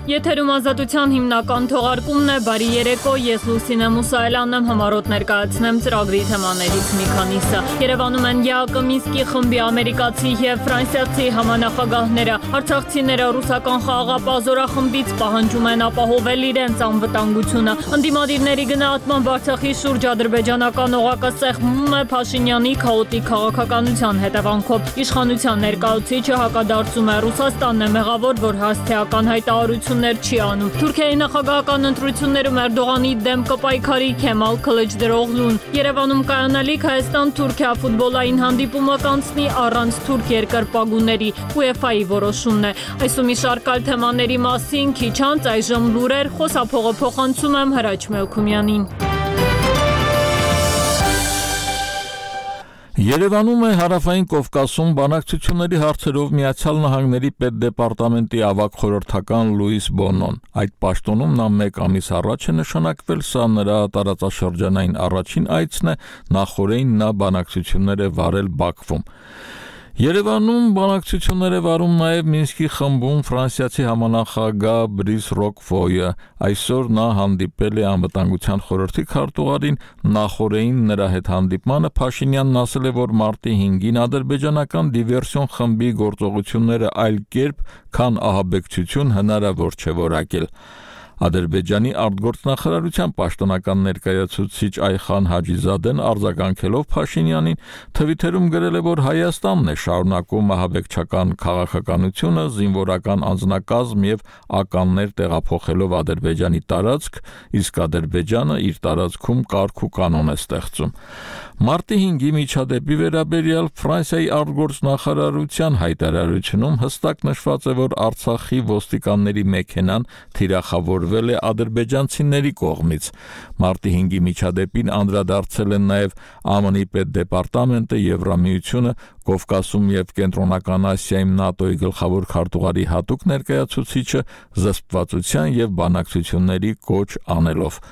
Եթերում ազատության հիմնական թողարկումն է, բարի երեկո, ես Լուսինե Մուսայելյանն եմ, համառոտ ներկայացնեմ ծրագրի թեմաներից մի քանիսը։ Երևանում են ԵԱԿ Մինսկի խմբի ամերիկացի և ֆրանսիացի համանախագահները, արցախցիները ռուսական խաղաղապահ պահանջում են ապահովել իրենց անվտանգությունը։ Ընդդիմադիրների գնահատմամբ Արցախի շուրջ ադրբեջանական օղակը սեղմում է Փաշինյանի քաոտիկ քաղաքականության հետևանքով։ Իշխանության ներկայացուցիչը հակադարձում է Ռուսաստանն է մեղավոր, որ հասցեական հայտարարություններ չի անում։ Թուրքիայի նախագահական ընտրություններում Էրդողանի դեմ կպայքարի Քեմալ Քլիչդարօղլուն։ Երևանում կայանալիք Հայաստան-Թուրքիա ֆուտբոլային հանդիպումը կանցնի առանց թուրք երկրպագուների, UEFA-ի որոշումն է։ Այս ու մի շարք այլ թեմաների մասին քիչ անց այժմ լուրեր, խոսափողը փոխանցում եմ Հրաչ Մելքումյանին։ Երևանում է Հարավային Կովկասում բանակցությունների հարցերով Միացյալ Նահանգների պետդեպարտամենտի ավագ խորհրդական Լուիս Բոնոն։ Այդ պաշտոնում նա 1 ամիս առաջ է նշանակվել, սա նրա տարածաշրջանային առաջին այցն է, նախօրեին նա բանակցություններ է վարել Բաքվում։ Երևանում բանակցություններ է վարում նաև Մինսկի խմբում ֆրանսիացի համանախագահ Բրիս Ռոկֆոյը։ Այսօր նա հանդիպել է անվտանգության խորհրդի քարտուղարին, նախօրեին նրա հետ հանդիպմանը Փաշինյանն ասել է, որ մարտի 5-ին ադրբեջանական դիվերսիոն խմբի գործողությունները այլ կերպ, քան ահաբեկչություն հնարավոր չէ որակել։ Ադրբեջանի արտգործնախարարության պաշտոնական ներկայացուցիչ Այխան Հաջիզադեն արձագանքելով Փաշինյանին Թվիթերում գրել է, որ Հայաստանն է շարունակում ահաբեկչական քաղաքականությունը, զինվորական անձնակազմ եւ ականներ տեղափոխելով Ադրբեջանի տարածք, իսկ Ադրբեջանը իր տարածքում կարգ ու կանոն է ստեղծում։ Մարտի 5-ի միջադեպի վերաբերյալ Ֆրանսիայի արտգործնախարարության հայտարարությունում հստակ նշված է, որ Արցախի ոստիկանների մեքենան թիրախավորվել է ադրբեջանցիների կողմից։ Մարտի 5-ի միջադեպին անդրադարձել են նաև ԱՄՆ-ի պետդեպարտամենտը, Եվրամիությունը, Կովկասում եւ Կենտրոնական Ասիայում ՆԱՏՕ-ի գլխավոր քարտուղարի հատուկ ներկայացուցիչը զսպվածության եւ բանակցությունների կոչ անելով։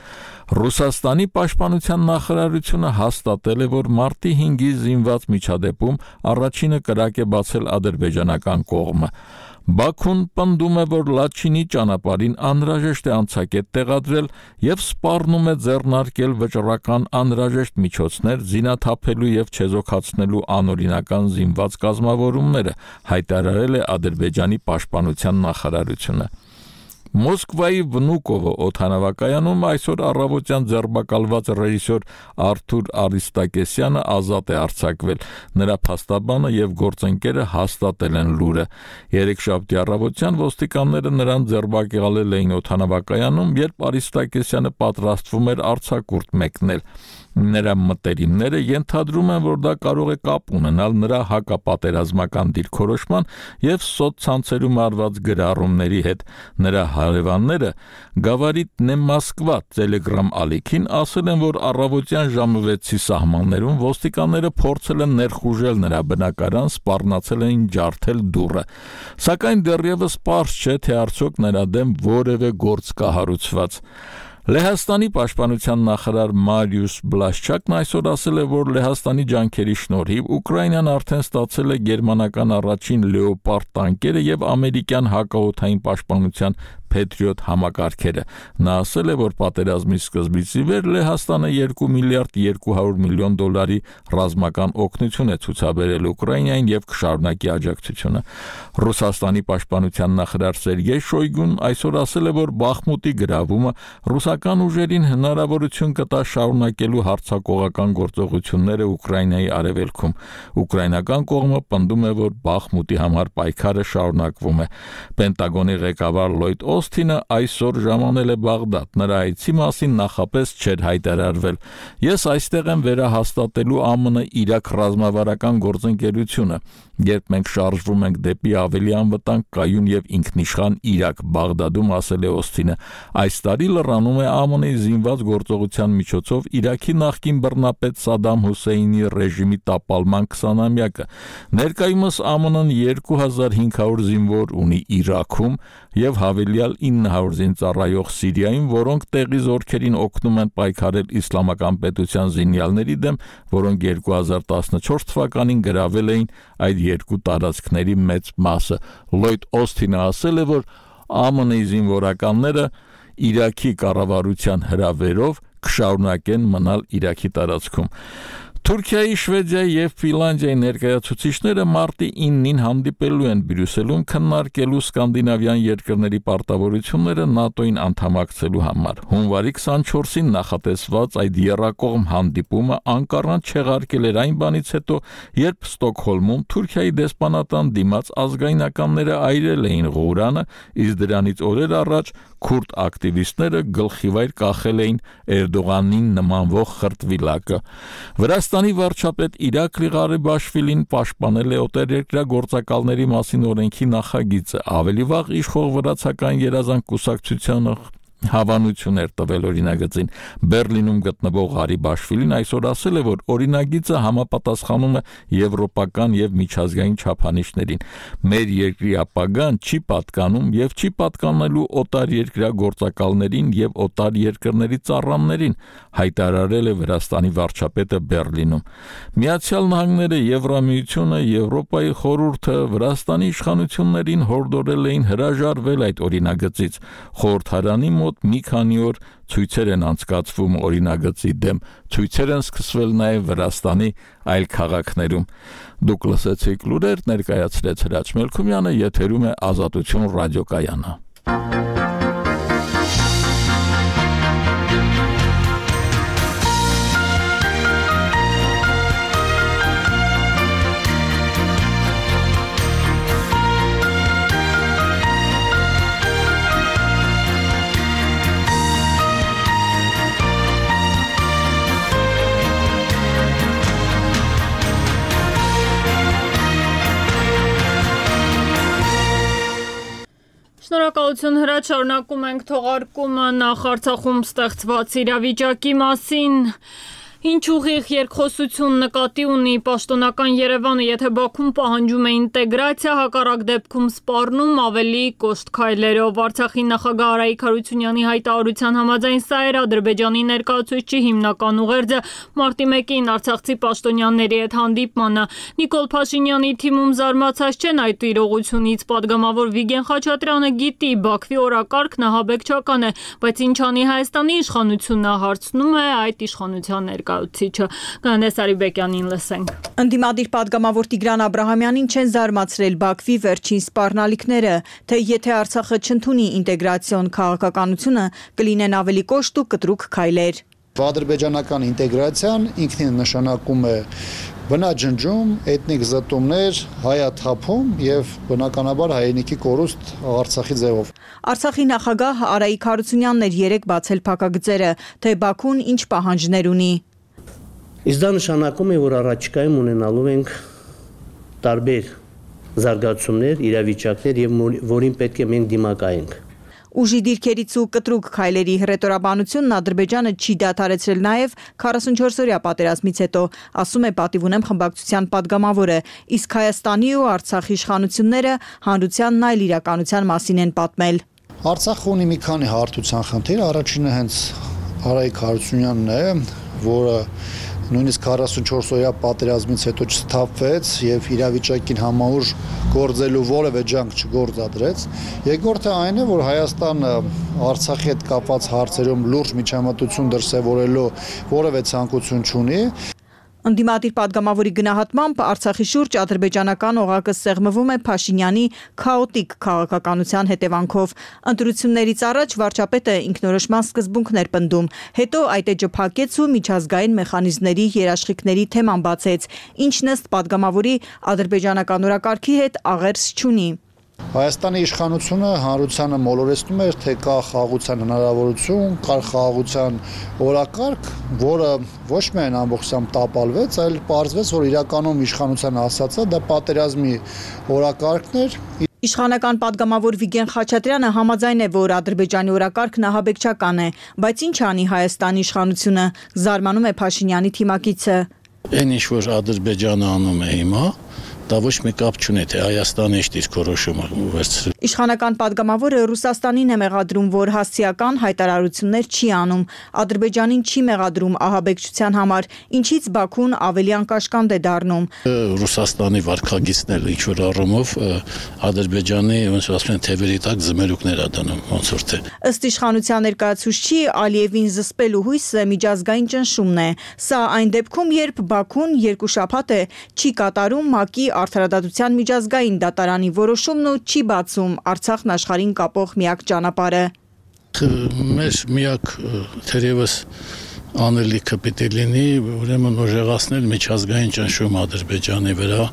Ռուսաստանի պաշտպանության նախարարությունը հաստատել է, որ մարտի 5-ի զինված միջադեպում առաջինը կրակ է բացել ադրբեջանական կողմը։ Բաքուն պնդում է, որ Լաչինի ճանապարհին անհրաժեշտ է անցակետ տեղադրել եւ սպառնում է ձեռնարկել վճռական անհրաժեշտ միջոցներ զինաթափելու եւ չեզոքացնելու անօրինական զինված կազմավորումները, հայտարարել է Ադրբեջանի պաշտպանության նախարարությունը։ Մոսկվայի Վնուկովո օդանավակայանում այսօր առավոտյան ձերբակալված ռեժիսոր Արթուր Արիստակեսյանը ազատ է արձակվել։ Նրա փաստաբանը եւ գործընկերը հաստատել են լուրը։ Երեքշաբթի առավոտյան ոստիկանները նրան ձերբակալել էին օդանավակայանում, երբ Արիստակեսյանը պատրաստվում էր արձակուրդ մեկնել։ Նրա մտերիմները ենթադրում են, որ դա կարող է կապ ունենալ նրա հակապատերազմական դիրքորոշման եւ սոցցանցերում արված գրառումների հետ։ Նրա հարևանները Գավարիտ Մոսկվա Telegram ալիքին ասել են, որ առավոտյան ժամը 6-ի սահմաններում ոստիկանները փորձել են ներխուժել նրա բնակարան, սպառնացել են ջարդել դուռը։ Սակայն դեռևս պարզ չէ, թե արդյոք նրա դեմ որևէ գործ կա հարուցված։ Լեհաստանի պաշտպանության նախարար Մարիուս Բլաշչակն այսօր ասել է, որ Լեհաստանի ջանքերի շնորհիվ Ուկրաինան արդեն ստացել է գերմանական առաջին Լեոպարդ տանկերը եւ ամերիկյան հակաօդային պաշտպանության Patriot համակարգերը։ Նա ասել է, որ պատերազմի սկզբից ի վեր Լեհաստանը 2 միլիարդ 200 միլիոն դոլարի ռազմական օգնություն է ցուցաբերել Ուկրաինային եւ կշարունակի աջակցությունը։ Ռուսաստանի պաշտպանության նախարար Սերգեյ Շոյգուն այսօր ասել է, որ Բախմուտի գրավումը ռուսական ուժերին հնարավորություն կտա շարունակելու հարձակողական գործողությունները Ուկրաինայի արևելքում։ Ուկրաինական կողմը պնդում է, որ Բախմուտի համար պայքարը շարունակվում է։ Պենտագոնի ղեկավար Լոյդ Օսթինը այսօր ժամանել է Բաղդադ։ Նրա այցի մասին նախապես չէր հայտարարվել։ Ես այստեղ եմ վերահաստատելու ԱՄՆ-Իրաք ռազմավարական գործընկերությունը։ Երբ մենք շարժվում ենք դեպի ավելի անվտանգ, կայուն եւ ինքնիշխան Իրաք, Բաղդադում ասել է Օսթինը, այս տարի լրանում է ԱՄՆ-ի զինված գործողության միջոցով Իրաքի նախկին բռնապետ Սադամ Հուսեյնի ռեժիմի տապալման 20-ամյակը։ Ներկայումս ԱՄՆ-ն 2500 զինվոր ունի Իրաքում եւ հավելյալ 900 զինծառայող Սիրիայում, որոնք տեղի զորքերին օգնում են պայքարել իսլամական պետության զինյալների դեմ, որոնք 2014 թվականին գրավել էին այդ երկու տարածքների մեծ մասը։ Լոյդ Օսթինը ասել է, որ ԱՄՆ-ի զինվորականները Իրաքի կառավարության հրավերով կշարունակեն մնալ Իրաքի տարածքում։ Թուրքիայի, Շվեդիայի եւ Ֆինլանդիայի ներկայացուցիչները մարտի 9-ին հանդիպելու են Բրյուսելում քննարկելու սկանդինավյան երկրների պարտավորությունները ՆԱՏՕ-ին անդամակցելու համար։ Հունվարի 24-ին նախատեսված այդ եռակողմ հանդիպումը Անկարան չեղարկել էր այն բանից հետո, երբ Ստոկհոլմում Թուրքիայի դեսպանատան դիմաց ազգայնականները այրել էին Ղուրանը, իսկ դրանից օրեր առաջ քուրդ ակտիվիստները գլխիվայր կախել էին Էրդողանին նմանվող խրտվիլակը։ Վրաստանի վարչապետ Իրակլի Ղարիբաշվիլին պաշտպանել է օտարերկրյա գործակալների մասին օրենքի նախագիծը, ավելի վաղ իշխող վրացական երազանք կուսակցությանը հավանություն էր տվել օրինագծին։ Բերլինում գտնվող Ղարիբաշվիլին այսօր ասել է, որ օրինագիծը համապատասխանում է եվրոպական եւ միջազգային չափանիշներին։ Մեր երկրի ապագան չի պատկանում եւ չի պատկանելու օտարերկրյա գործակալներին եւ օտար երկրների ծառաներին, հայտարարել է Վրաստանի վարչապետը Բերլինում։ Միացյալ Նահանգները, Եվրամիությունը, Եվրոպայի խորհուրդը Վրաստանի իշխանություններին հորդորել էին հրաժարվել այդ օրինագծից։ Խորհրդարանի մոտ մի քանի օր ցույցեր են անցկացվում օրինագծի դեմ, ցույցեր են սկսվել նաև Վրաստանի այլ քաղաքներում։ Դուք լսեցիք լուրեր, ներկայացրեց Հրաչ Մելքումյանը, եթերում է Ազատություն ռադիոկայանը։ Շնորհակալություն Հրաչ, շարունակում ենք թողարկումը նախ Արցախում ստեղծված իրավիճակի մասին։ Ինչ ուղիղ երկխոսություն նկատի ունի պաշտոնական Երևանը, եթե Բաքուն պահանջում է ինտեգրացիա, հակառակ դեպքում սպառնում ավելի կոշտ քայլերով։ Արցախի նախագահ Արայիկ Հարությունյանի հայտարարության համաձայն սա էր Ադրբեջանի ներկայացուցչի հիմնական ուղերձը մարտի 1-ին արցախցի պաշտոնյաների հետ հանդիպմանը։ Նիկոլ Փաշինյանի թիմում զարմացած չեն այդ իրողությունից, падգամավոր Վիգեն Խաչատրյանը գիտի Բաքվի օրակարգն ահաբեկչական է, բայց ինչ անի Հայաստանի իշխանությունը, հարցնում է այդ իշխանության ներկայացուցիչը։ Գանես Արիբեկյանին լսենք։ Ընդդիմադիր падգամավոր Տիգրան Աբրահամյանին չեն զարմացրել Բաքվի վերջին սպառնալիքները, թե եթե Արցախը չընդունի ինտեգրացիոն քաղաքականությունը, կլինեն ավելի կոշտ ու կտրուկ քայլեր։ Ադրբեջանական ինտեգրացիան ինքնին նշանակում է բնաջնջում, էթնիկ զտումներ, հայաթափում եւ բնականաբար հայրենիքի կորուստ Արցախի ձևով։ Արցախի նախագահ Արայիկ Հարությունյանն էր երեկ բացել փակագծերը, թե Բաքուն ինչ պահանջներ ունի։ Իսկ դա նշանակում է, որ առաջիկայում ունենալու ենք տարբեր զարգացումներ, իրավիճակներ եւ որին պետք է մենք դիմակայենք։ Ուժի դիրքերից ու կտրուկ քայլերի հռետորաբանությունն Ադրբեջանը չի դադարեցրել նաև 44-օրյա պատերազմից հետո, ասում է Պատիվ ունեմ խմբակցության падգամավորը, իսկ Հայաստանի ու Արցախի իշխանությունները հանրությանն այլ իրականության մասին են պատմել։ Արցախը ունի մի քանի հարթության խնդիր, առաջինը հենց Արայիկ Հարությունյանն է, որը նույնիսկ 44-օրյա պատերազմից հետո չսթափվեց եւ իրավիճակին համահուժ գործելու որևէ ջանք չգործադրեց։ Երկրորդը այն է, որ Հայաստանը Արցախի հետ կապված հարցերում լուրջ միջամտություն դրսևորելու որևէ ցանկություն չունի։ Ընդդիմադիր падգամավորի գնահատմամբ Արցախի շուրջ ադրբեջանական օղակը սեղմվում է Փաշինյանի քաոտիկ քաղաքականության հետևանքով։ Ընտրություններից առաջ վարչապետը ինքնորոշման սկզբունքներ պնդում, հետո այդ էջը փակեց ու միջազգային մեխանիզմների երաշխիքների թեման բացեց, ինչն ըստ падգամավորի ադրբեջանական օրակարգի հետ աղերս չունի։ Հայաստանի իշխանությունը հանրությանը մոլորեցնում էր, թե կա խաղաղության հնարավորություն, կա խաղաղության օրակարգ, որը ոչ միայն ամբողջությամբ տապալվեց, այլ պարզվեց, որ իրականում իշխանության ասածը դա պատերազմի օրակարգն էր։ Իշխանական падգամավոր Վիգեն Խաչատրյանը համաձայն է, որ Ադրբեջանի օրակարգն ահաբեկչական է, բայց ինչ անի Հայաստանի իշխանությունը, զարմանում է Փաշինյանի թիմակիցը։ Այն ինչ որ Ադրբեջանը անում է հիմա, դա ոչ մի կապ չունի, թե Հայաստանը ինչ դիրքորոշում է վերցրել։ Իշխանական падգամավորը Ռուսաստանին է մեղադրում, որ հասցեական հայտարարություններ չի անում, Ադրբեջանին չի մեղադրում ահաբեկչության համար, ինչից Բաքուն ավելի անկաշկանդ է դառնում։ Ռուսաստանի վարքագիծները ինչ-որ առումով Ադրբեջանի, ոնց ասում են, թևերի տակ զմերուկներ ա դնում, ոնց որ թե։ Ըստ իշխանության ներկայացուցչի Ալիևին զսպելու հույսը միջազգային ճնշումն է։ Սա այն դեպքում, երբ Բաքուն 2 շաբաթ է չի կատարում ՄԱԿ-ի արդարադատության միջազգային դատարանի որոշումն ու չի բացում Արցախն աշխարհին կապող միակ ճանապարհը։ Մեր միակ թերևս անելիքը պիտի լինի, ուրեմն ուժեղացնել միջազգային ճնշում Ադրբեջանի վրա։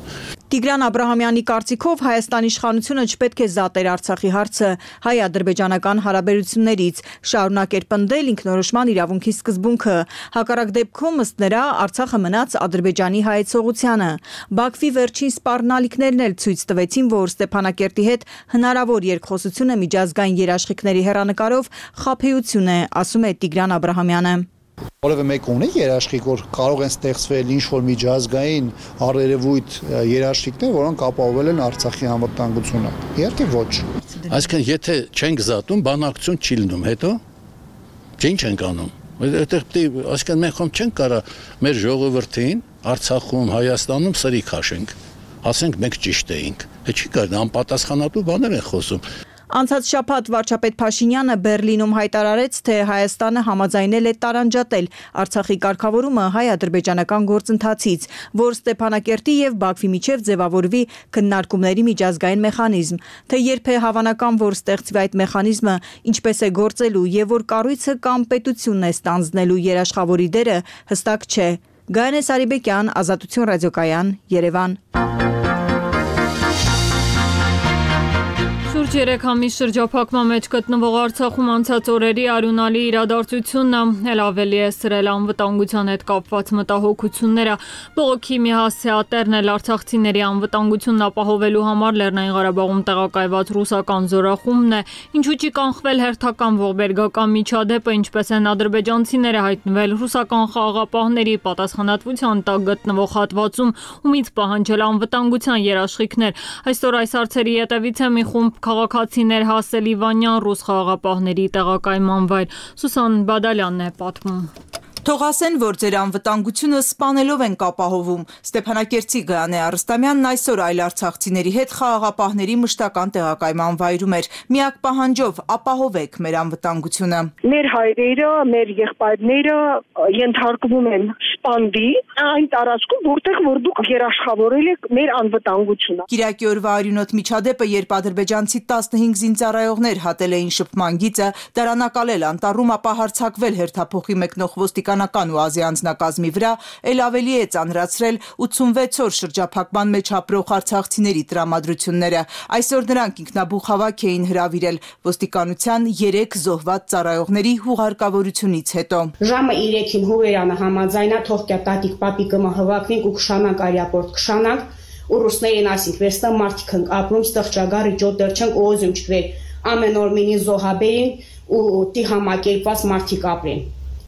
Տիգրան Աբրահամյանի կարծիքով Հայաստանի իշխանությունը չպետք է զատեր Արցախի հարցը հայ-ադրբեջանական հարաբերություններից, շարունակեր պնդել ինքնորոշման իրավունքի սկզբունքը։ Հակառակ դեպքում, ըստ նրա, Արցախը մնաց Ադրբեջանի հայեցողությանը։ Բաքվի վերջին սպառնալիքներն էլ ցույց տվեցին, որ Ստեփանակերտի հետ հնարավոր երկխոսությունը միջազգային երաշխիքների հեռանկարով խաբեություն է, ասում է Տիգրան Աբրահամյանը։ Որևէ մեկ ունի երաշխիք, որ կարող են ստեղծվել ինչ-որ միջազգային առերևույթ երաշխիքներ, որոնք ապահովել են Արցախի անվտանգությունը։ Իհարկե ոչ։ Այսինքն, եթե չենք զատում, բանակցություն չի լինում, հետո ինչ ենք անում։ Այդտեղ պետք է, այսինքն մենք խոմ չենք կարա մեր ժողովրդին Արցախում, Հայաստանում սրի քաշենք։ Ասենք մենք ճիշտ էինք։ Չի կարելի, անպատասխանատու բաներ են խոսում։ Անցած շաբաթ վարչապետ Փաշինյանը Բերլինում հայտարարեց, թե Հայաստանը համաձայնել է տարանջատել Արցախի կարգավորումը հայ-ադրբեջանական գործընթացից, որ Ստեփանակերտի եւ Բաքվի միջև ձևավորվի քննարկումների միջազգային մեխանիզմ, թե երբ է հավանական, որ ստեղծվի այդ մեխանիզմը, ինչպես է գործելու եւ որ կառույցը կամ պետությունն է ստանձնելու երաշխավորի դերը հստակ չէ։ Գայանե Սարիբեկյան, Ազատություն ռադիոկայան, Երևան։ Շուրջ 3 ամիս շրջափակման մեջ գտնվող Արցախում անցած օրերի արյունալի իրադարձությունն էլ ավելի է սրել անվտանգության հետ կապված մտահոգությունները։ Բողոքի մի հասցեատերն էլ արցախցիների անվտանգությունն ապահովելու համար Լեռնային Ղարաբաղում տեղակայված ռուսական զորախումբն է, ինչու չի կանխվել հերթական ողբերգական միջադեպը, ինչպես են ադրբեջանցիները հայտնվել ռուսական խաղաղապահների պատասխանատվության տակ գտնվող հատվածում, ումից պահանջել անվտանգության երաշխիքներ։ Այսօր այս հարցերի հետևից է մի խումբ քաղաքացիներ հասել Իվանյան ռուս խաղաղապահների տեղակայման վայր։ Սուսան Բադալյանն է պատմում։ Թող ասեն, որ ձեր անվտանգությունը սպանելով ենք ապահովում։ Ստեփանակերտի Գայանե Արստամյանն այսօր այլ արցախցիների հետ խաղաղապահների մշտական տեղակայման վայրում էր։ Միակ պահանջով ապահովեք մեր անվտանգությունը։ Մեր հայրերը, մեր եղբայրները ենթարկվում են սպանդի այն տարածքում, որտեղ որ դուք երաշխավորել եք մեր անվտանգությունը։ Կիրակի օրվա արյունոտ միջադեպը, երբ ադրբեջանցի 15 զինծառայողներ հատել էին շփման գիծը, դարանակալել անտառում, ապա հարձակվել հերթափոխի մեկնող ոստիկանական ու ազի անձնակազմի վրա, էլ ավելի է ծանրացրել 86 օր շրջափակման մեջ ապրող արցախցիների տրամադրությունները։ Այսօր նրանք ինքնաբուխ հավաք էին հրավիրել ոստիկանության 3 զոհված ծառայողների հուղարկավորությունից հետո։ Ժամը 3-ին Հուվերյանը համաձայնա թող տատիկ պապիկը հվակվենք ու քշանանք արիապորտ քշանանք ու ռուսներին ասինք վերստա մարդիկ ենք ապրում ստղճագարի ջոդեր չենք օզում չկրել ամեն օր մինի զոհաբերին ու տի համակերպված մարդիկ ապրեն։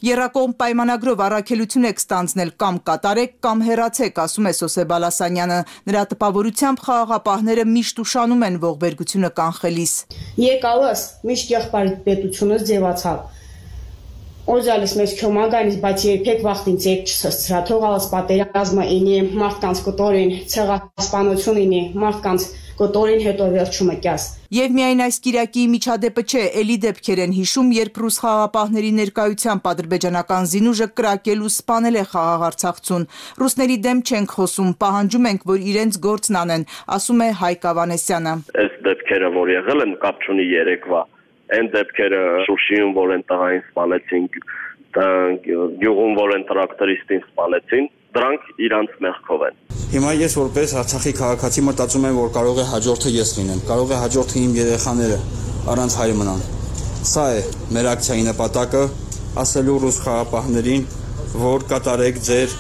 Եռակողմ պայմանագրով առաքելություն եք ստանձնել կամ կատարեք կամ հեռացեք, ասում է Սոսե Բալասանյանը։ Նրա տպավորությամբ խաղաղապահները միշտ ուշանում են ողբերգությունը կանխելիս։ Եկալս միշտ եղբայր պետությունը ձևացավ։ Օզալիս մեզ քյոմագանից բայց երբեք վախտին ցեք չսցրա թողալս պատերազմը ինի մարդկանց կոտորին ցեղասպանություն ինի մարդկանց կոտորին հետո վերջումը կյաս։ Եվ միայն այս Կիրակի միջադեպը չէ, էլի դեպքեր են հիշում, երբ ռուս խաղաղապահների ներկայությամբ ադրբեջանական զինուժը կրակել ու սպանել է խաղաղ Արցախցուն։ Ռուսների դեմ չենք խոսում, պահանջում ենք, որ իրենց գործն անեն, ասում է Հայկ Ավանեսյանը։ Այս դեպքերը, որ եղել են, կապ չունի երեկվա, այն դեպքերը Շուշիում, որ են տղային սպանեցին, գյուղում, որ են տրակտորիստին սպանեցին, դրանք իրանց մեղքով են։ Հիմա ես որպես Արցախի քաղաքացի մտածում եմ, որ կարող է հաջորդը ես լինեմ, կարող է հաջորդը իմ երեխաները առանց հայր մնան։ Սա է մեր ակցիայի նպատակը, ասելու ռուս խաղաղապահներին, որ կատարեք ձեր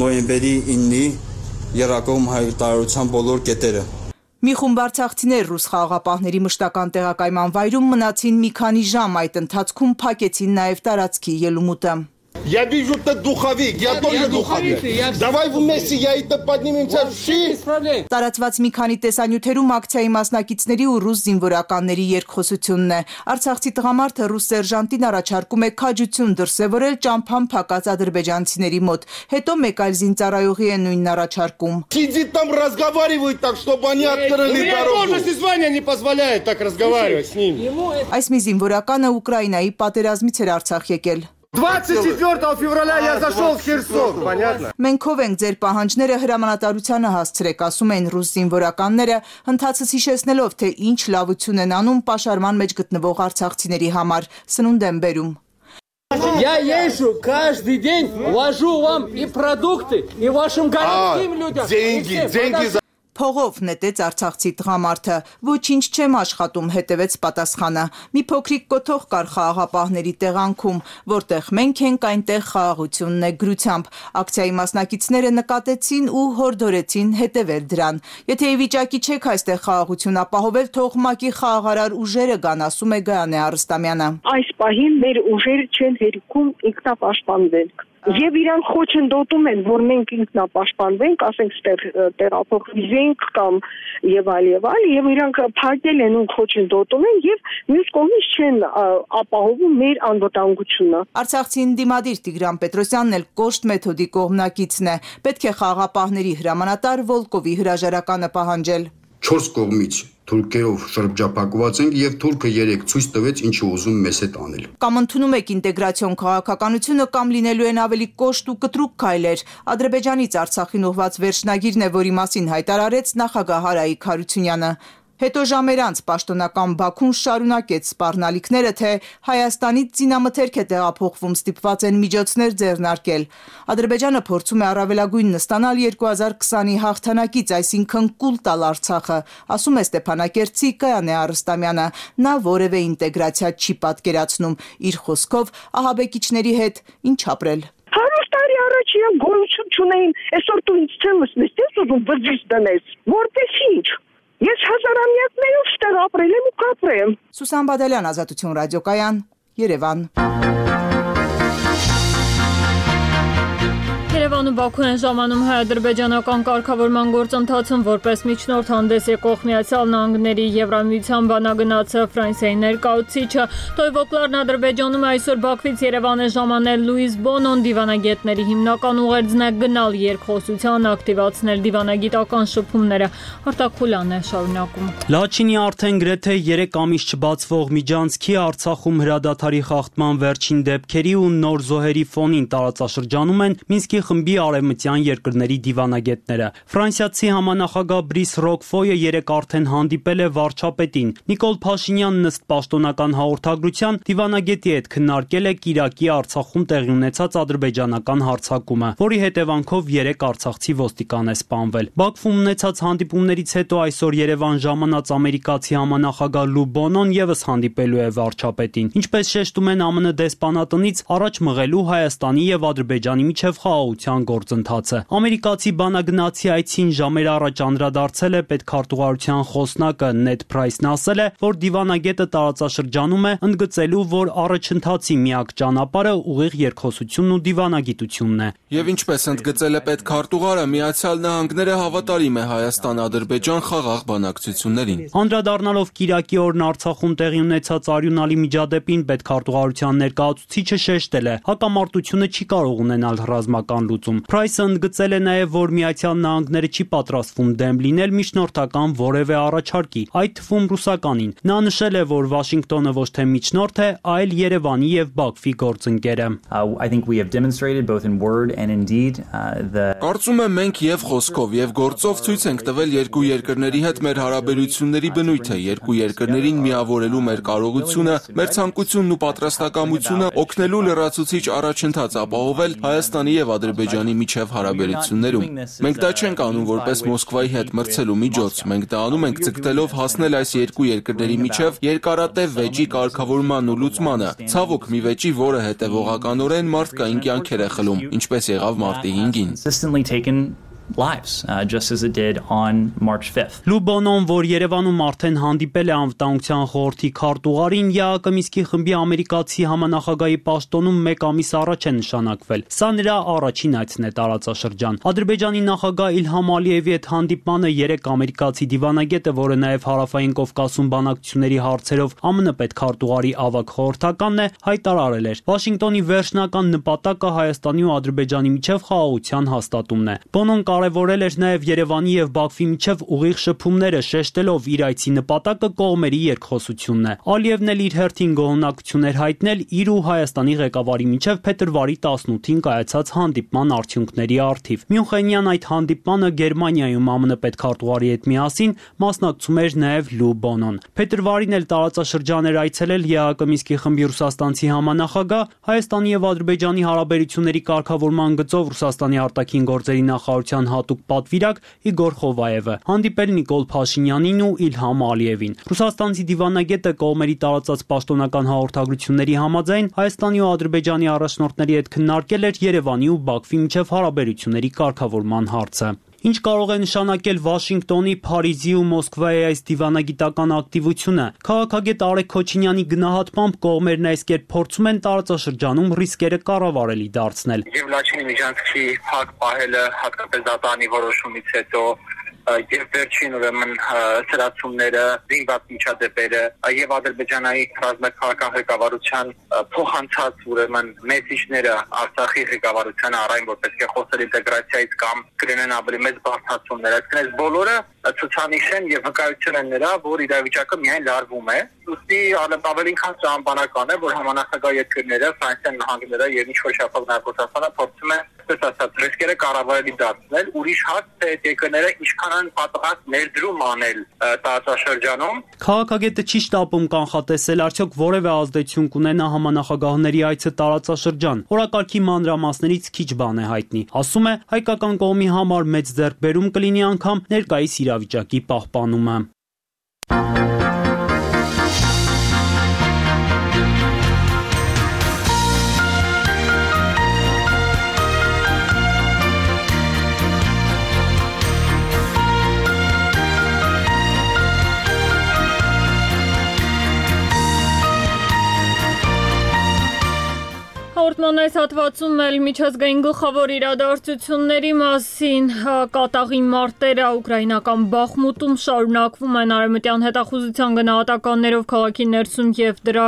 նոյեմբերի 9-ի եռակողմ հայտարարության բոլոր կետերը։ Մի խումբ արցախցիներ ռուս խաղաղապահների մշտական տեղակայման վայրում մնացին մի քանի ժամ, այդ ընթացքում փակեցին նաև տարածքի ելումուտը։ Я вижу, ты духовик, я тоже духовик. Давай вместе, я это поднимемся все. Տարածված մի քանի տեսանյութերում ակցիայի մասնակիցների ու ռուս զինվորականների երկխոսությունն է։ Արցախցի տղամարդը ռուս սերժանտին առաջարկում է քաջություն դրսևորել ճամփան փակած ադրբեջանցիների մոտ։ Հետո մեկ այլ զինծառայողի է նույնն առաջարկում։ Сидит там, разговаривает так, чтобы они открыли дорогу. У меня должность и звание не позволяет так разговаривать с ними. Այս մի զինվորականը Ուկրաինայի պատերազմից էր Արցախ եկել։ 24 февраля я зашел в Херсон, понятно? Մենք ով ենք ձեր պահանջները հրամանատարությանը հասցրեք, ասում են ռուս զինվորականները, ընթացս հիշեցնելով, թե ինչ լավություն են անում պաշարման մեջ գտնվող արցախցիների համար, սնունդ են բերում։ Я езжу каждый день, вожу вам и продукты, и вашим городским людям. Деньги за... Փողով նետեց արցախցի տղամարդը, ոչինչ չեմ աշխատում, հետևեց պատասխանը։ Մի փոքրիկ կոթող կար խաղաղապահների տեղանքում, որտեղ մենք ենք, այնտեղ խաղաղությունն է գրությամբ։ Ակցիայի մասնակիցները նկատեցին ու հորդորեցին հետևել դրան։ Եթե ի վիճակի չեք այստեղ խաղաղություն ապահովել, թող ՄԱԿ-ի խաղաղարար ուժերը գան, ասում է Գայանե Արստամյանը։ Այս պահին մեր ուժերը չեն հերիքում ինքնապաշտպանվենք։ Եվ իրանք խոչընդոտում են, որ մենք ինքնապաշտպանվենք, ասենք տեղափոխվենք կամ եւ այլ, եւ իրանք փակել են ու խոչընդոտում են եւ մյուս կողմից չեն ապահովում մեր անվտանգությունը։ Արցախցի ընդդիմադիր Տիգրան Պետրոսյանն էլ կոշտ մեթոդի կողմնակիցն է։ Պետք է խաղաղապահների հրամանատար Վոլկովի հրաժարականը պահանջել։ 4 կողմից թուրքերով շրջափակված ենք եւ թուրքը 3 ցույց տվեց ինչի ուզում մեզ հետ անել։ Կամ ընդունում եք ինտեգրացիոն քաղաքականությունը կամ լինելու են ավելի կոշտ ու կտրուկ քայլեր։ Ադրբեջանից Արցախին ուղղված վերջնագիրն է, որի մասին հայտարարեց նախագահ Արայիկ Հարությունյանը։ Հետո ժամեր անց պաշտոնական Բաքուն շարունակեց սպառնալիքները, թե Հայաստանից զինամթերք է տեղափոխվում, ստիպված են միջոցներ ձեռնարկել։ Ադրբեջանը փորձում է առավելագույնն ստանալ 2020-ի հաղթանակից, այսինքն կուլ տալ Արցախը, ասում է Ստեփանակերտցի Գայանե Արստամյանը։ Նա որևէ ինտեգրացիա չի պատկերացնում, իր խոսքով ահաբեկիչների հետ ինչ ապրել։ 100 տարի առաջ իրենք գոյություն չունեին, այսօր դու ինձ ցելս ես ուզում բջիջ դնես, որպես ինչ։ Ես հազարամյակներով ստեղ ապրել եմ ու կապրեմ։ Սուսան Բադալյան, Ազատություն ռադիոկայան, Երևան։ Երևանում Բաքու են ժամանում հայ-ադրբեջանական կարգավորման գործընթացում որպես միջնորդ հանդես եկող Միացյալ Նահանգների Եվրամիության բանագնացը Ֆրանսիայի ներկայացուցիչը Տոյվոկլարն Ադրբեջանում այսօր Բաքվից Երևան է ժամանել Լուիս Բոնոն դիվանագետների հիմնական ուղերձն է գնալ երկխոսության, ակտիվացնել դիվանագիտական շփումները։ Արտակուլյանն է շարունակում։ Լաչինի արդեն գրեթե 3 ամիս չբացվող միջանցքի Արցախում հրադադարի խախտման վերջին դեպքերի ու նոր զոհերի ֆոնին տարածաշրջանում են Մինսկի խմբի արևմտյան երկրների դիվանագետները։ Ֆրանսիացի համանախագահ Բրիս Ռոկֆոյը երեկ արդեն հանդիպել է վարչապետին։ Նիկոլ Փաշինյանն ըստ պաշտոնական հաղորդագրության դիվանագետի հետ քննարկել է Կիրակի Արցախում տեղի ունեցած ադրբեջանական հարձակումը, որի հետևանքով 3 արցախցի ոստիկան է սպանվել։ Բաքվում ունեցած հանդիպումներից հետո այսօր Երևան ժամանած ամերիկացի համանախագահ Լու Բոնոն եւս հանդիպելու է վարչապետին։ Ինչպես շեշտում են ԱՄՆ դեսպանատնից, առաջ մղելու Հայաստանի եւ Ադրբեջանի միջև խաղաղության գործընթացը։ Ամերիկացի բանագնացի այցին ժամեր առաջ անդրադարձել է պետքարտուղարության խոսնակը Նեդ Փրայսն ասել է, որ դիվանագետը տարածաշրջանում է ընդգծելու, որ առաջընթացի միակ ճանապարհը ուղիղ երկխոսությունն ու դիվանագիտությունն է։ Եվ ինչպես ընդգծել է պետքարտուղարը, Միացյալ Նահանգները հավատարիմ է Հայաստան-Ադրբեջան խաղաղ բանակցություններին։ Անդրադառնալով Կիրակի օրն Արցախում տեղի ունեցած արյունալի միջադեպին, պետքարտուղարության ներկայացուցիչը շեշտել է, հակամարտությունը չի կարող ունենալ ռազմական լուծում։ Փրայսը ընդգծել է նաև, որ Միացյալ Նահանգները չի պատրաստվում դեմ լինել միջնորդական որևէ առաջարկի, այդ թվում ռուսականին։ Նա նշել է, որ Վաշինգտոնը ոչ թե միջնորդ է, այլ Երևանի եւ Բաքվի գործընկերը։ Կարծում եմ մենք եւ խոսքով եւ գործով ցույց ենք տվել երկու երկրների հետ մեր հարաբերությունների բնույթը, երկու երկրներին միավորելու մեր կարողությունը, մեր ցանկությունն ու պատրաստակամությունը օգնելու լրացուցիչ առաջընթաց ապահովել Հայաստանի եւ Ադրբեջանի միջև հարաբերություններում։ Մենք դա չենք անում որպես Մոսկվայի հետ մրցելու միջոց, մենք դա անում ենք ձգտելով հասնել այս երկու երկրների միջև երկարատև վեճի կարգավորման ու լուծմանը։ Ցավոք մի վեճի, որը հետևողականորեն մարդկային կյանքեր է խլում, ինչպես եղավ մարտի 5-ին։ lives, just as it did on March 5th. Լու Բոնոն, որ Երևանում արդեն հանդիպել է անվտանգության խորհրդի քարտուղարին, ԵԱԿ Մինսկի խմբի ամերիկացի համանախագահի պաշտոնում 1 ամիս առաջ է նշանակվել։ Սա նրա առաջին այցն է տարածաշրջան։ Ադրբեջանի նախագահ Իլհամ Ալիևի հետ հանդիպմանը 3 ամերիկացի դիվանագետը, որը նաև Հարավային Կովկասում բանակցությունների հարցերով ԱՄՆ պետքարտուղարի ավագ խորհրդականն է, հայտարարել էր. Վաշինգտոնի վերջնական նպատակը Հայաստանի ու Ադրբեջանի միջև խաղաղության հաստատումն է։ Բոնոն կարևորել էր նաև Երևանի եւ Բաքվի միջև ուղիղ շփումները, շեշտելով իր այցի նպատակը կողմերի երկխոսությունն է։ Ալիևն էլ իր հերթին գոհունակություն էր հայտնել իր ու Հայաստանի ղեկավարի միջև փետրվարի 18-ին կայացած հանդիպման արդյունքների առթիվ։ Մյունխենյան այդ հանդիպմանը Գերմանիայում ԱՄՆ պետքարտուղարի հետ միասին մասնակցում էր նաև Լու Բոնոն։ Փետրվարին էլ տարածաշրջան էր այցելել ԵԱԿ Մինսկի խմբի ռուսաստանցի համանախագահ, Հայաստանի եւ Ադրբեջանի հարաբերությունների կարգավորման գծով Ռուսաստանի արտաքին գործերի նախարարության հատուկ պատվիրակ Իգոր Խովայևը, հանդիպել Նիկոլ Փաշինյանին ու Իլհամ Ալիևին։ Ռուսաստանցի դիվանագետը կողմերի տարածած պաշտոնական հաղորդագրությունների համաձայն Հայաստանի ու Ադրբեջանի առաջնորդների հետ քննարկել էր Երևանի ու Բաքվի միջև հարաբերությունների կարգավորման հարցը։ Ինչ կարող է նշանակել Վաշինգտոնի, Փարիզի ու Մոսկվայի այս դիվանագիտական ակտիվությունը։ Քաղաքագետ Արեգ Քոչինյանի գնահատմամբ կողմերն այս կերպ փորձում են տարածաշրջանում ռիսկերը կառավարելի դարձնել։ Եվ Լաչինի միջանցքի փակ պահելը, հատկապես դատարանի որոշումից հետո, եւ վերջին ուրեմն սրացումները, զինված միջադեպերը եւ Ադրբեջանի ռազմաքաղաքական ղեկավարության փոխանցած ուրեմն մեսիջները Արցախի ղեկավարությանը առայն որ պետք է խոսել ինտեգրացիայից կամ կրենեն ավելի մեծ բարձրացումներ, այսինքն այս բոլորը ցուցանիշ են եւ վկայություն են նրա, որ իրավիճակը միայն լարվում է։ Ուստի ավելին քան ճամփանական է, որ համանախագահ երկրները, Ֆրանսիան, Նահանգները եւ ինչ որ շփոթ Ռուսաստանը փորձում է ասած ռիսկերը կառավարելի դարձնել, ուրիշ հարց թե այդ երկրները ինչքան են պատրաստ ներդրում անել տարածաշրջանում։ Քաղաքագետը չի շտապում կանխատեսել արդյոք որևէ ազդեցություն կունենա համանախագահների այցը տարածաշրջան։ Օրակարգի մանրամասներից քիչ բան է հայտնի։ Ասում է, հայկական կողմի համար մեծ ձեռքբերում կլինի անգամ ներկայիս իրավիճակի պահպանումը։ Հաղորդման այս հատվածում էլ միջազգային գլխավոր իրադարձությունների մասին կատաղի մարտերը ուկրաինական Բախմուտում շարունակվում են արևմտյան հետախուզության գնահատականներով քաղաքի ներսում եւ դրա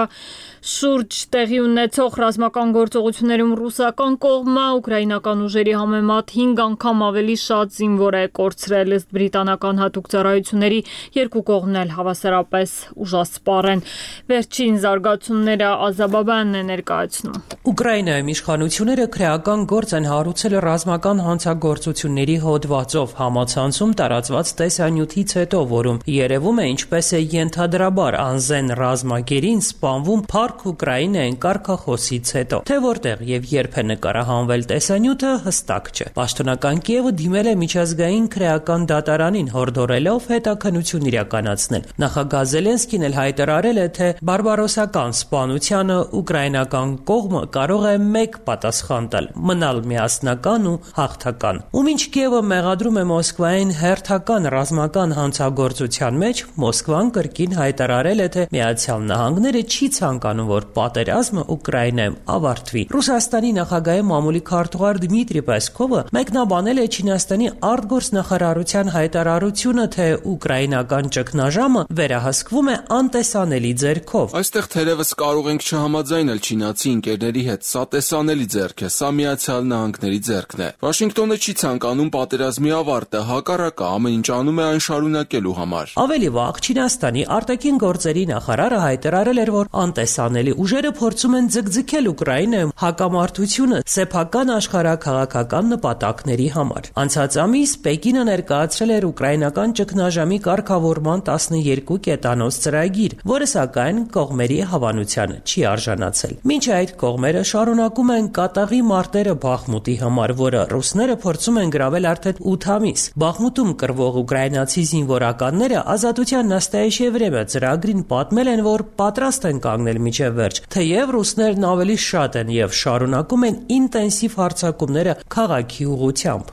շուրջ տեղի ունեցող ռազմական գործողություններում ռուսական կողմը ուկրաինական ուժերի համեմատ 5 անգամ ավելի շատ զինվոր է կորցրել, ըստ բրիտանական հատուկ ծառայությունների երկու կողմն էլ հավասարապես ուժասպառ են։ Վերջին զարգացումները Ազաբաբյանն է ներկայացնում։ Ուկրաինայում իշխանությունները քրեական գործ են հարուցել ռազմական հանցագործությունների հոդվածով համացանցում տարածված տեսանյութից հետո, որում երևում է ինչպես է ենթադրաբար անզեն ռազմագերին սպանվում Փառք Ուկրաինային կարգախոսից հետո։ Թե որտեղ եւ երբ է նկարահանվել տեսանյութը հստակ չէ։ Պաշտոնական Կիևը դիմել է միջազգային քրեական դատարանին հորդորելով հետաքննություն իրականացնել։ Նախագահ Զելենսկին էլ հայտարարել է, թե բարբարոսական սպանությանը ուկրաինական կողմը կարող է մեկ պատասխան տալ՝ մնալ միասնական ու հաղթական։ Ու մինչ Կիևը մեղադրում է Մոսկվային հերթական ռազմական հանցագործության մեջ, Մոսկվան կրկին հայտարարել է, թե Միացյալ Նահանգները չի ցանկանում, որ պատերազմը Ուկրաինայում ավարտվի։ Ռուսաստանի նախագահի մամուլի քարտուղար Դմիտրի Պեսկովը մեկնաբանել է Չինաստանի արտգործնախարարության հայտարարությունը, թե ուկրաինական ճգնաժամը վերահսկվում է անտեսանելի ձեռքով։ Այստեղ թերևս կարող ենք չհամաձայնել չինացի ընկերների հետ, սա տեսանելի ձեռք է, սա Միացյալ Նահանգների ձեռքն է։ Վաշինգտոնը չի ցանկանում պատերազմի ավարտը, հակառակը ամեն ինչ անում է այն շարունակելու համար։ Ավելի վաղ Չինաստանի արտաքին գործերի նախարարը հայտարարել էր, որ անտեսանելի ուժերը փորձում են ձգձգել Ուկրաինայում հակամարտությունը սեփական աշխարհաքաղաքական նպատակների համար։ Անցած ամիս Պեկինը ներկայացրել էր ուկրաինական ճգնաժամի կարգավորման 12 կետանոց ծրագիր, որը սակայն կողմերի հավանությանը չի արժանացել։ Մինչ այդ կողմերը շարունակում շարունակում են կատաղի մարտերը Բախմուտի համար, որը ռուսները փորձում են գրավել արդեն 8 ամիս։ Բախմուտում կռվող ուկրաինացի զինվորականները Ազատության նաստայեշե վրեմը ծրագրին պատմել են, որ պատրաստ են կանգնել մինչև վերջ, թեև ռուսներն ավելի շատ են եւ շարունակում են ինտենսիվ հարձակումները քաղաքի ուղղությամբ։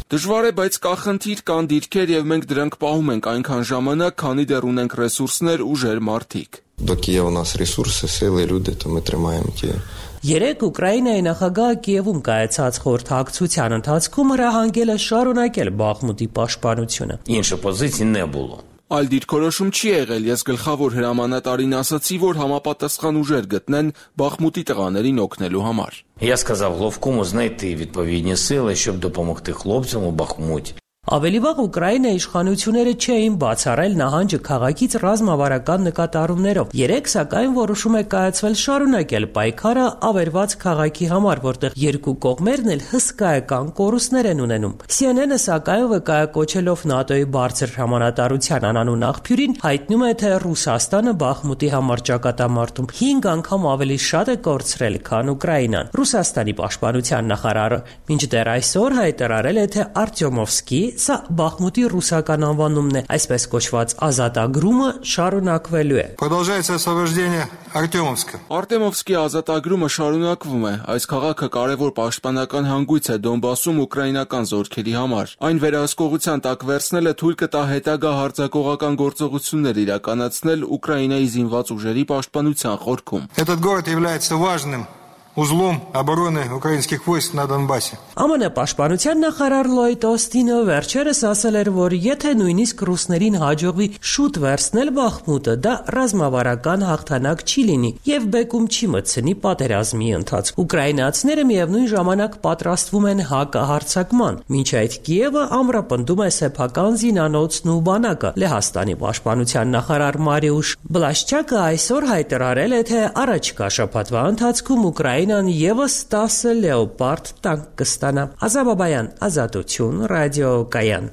Դժվար է, բայց կա խնդիր, կան դիրքեր եւ մենք դրանք պահում ենք այնքան ժամանակ, քանի դեռ ունենք ռեսուրսներ, ուժեր, մարդիկ։ Երեկ Ուկրաինայի նախագահը Կիևում կայացած խորհրդակցության ընթացքում հրահանգել է շարունակել Բախմուտի պաշտպանությունը։ Այլ դիրքորոշում չի եղել, ես գլխավոր հրամանատարին ասացի, որ համապատասխան ուժեր գտնեն Բախմուտի տղաներին օգնելու համար։ Я сказав Головкому знайти відповідні сили, щоб допомогти хлопцям у Бахмуті. Ավելի վաղ Ուկրաինայի իշխանությունները չէին բացառել նահանջը քաղաքից ռազմավարական նկատառումներով։ Երեկ սակայն որոշում է կայացվել շարունակել պայքարը ավերված քաղաքի համար, որտեղ երկու կողմերն էլ հսկայական կորուստներ են ունենում։ CNN-ը սակայն վկայակոչելով ՆԱՏՕ-ի բարձր հրամանատարության անանուն աղբյուրին հայտնում է, թե Ռուսաստանը Բախմուտի համար ճակատամարտում 5 անգամ ավելի շատ է կորցրել, քան Ուկրաինան։ Ռուսաստանի պաշտպանության նախարարը մինչդեռ այսօր հայտարարել է, թե Արտյոմովսկի Սա Բախմուտի ռուսական անվանումն է, այսպես կոչված ազատագրումը շարունակվելու է։ Արտեմովսկի ազատագրումը շարունակվում է։ Այս քաղաքը կարևոր պաշտպանական հանգույց է Դոնբասում ուկրաինական զորքերի համար։ Այն վերահսկողության տակ վերցնելը թույլ կտա հետագա հարձակողական գործողություններ իրականացնել Ուկրաինայի զինված ուժերի պաշտպանության խորքում։ узлом обороны украинских войск на Донбассе. ԱՄՆ պաշտպանության նախարար Լոյդ Օստինը վերջերս ասել էր, որ եթե նույնիսկ ռուսներին հաջողվի շուտ վերցնել Բախմուտը, դա ռազմավարական հաղթանակ չի լինի եւ բեկում չի մտցնի պատերազմի ընթացքում։ Ուկրաինացիները միևնույն ժամանակ պատրաստվում են հակահարձակման, մինչ այդ Կիևը ամրապնդում է սեփական զինանոցն ու բանակը։ Լեհաստանի պաշտպանության նախարար Մարիուշ Բլաշչակը այսօր հայտարարել է, թե առաջիկա շաբաթվա ընթացքում Ուկրաինան եւս 10 լեոպարդ տանկ կստանա։ Ազաբաբայան, Ազատություն, ռադիոկայան։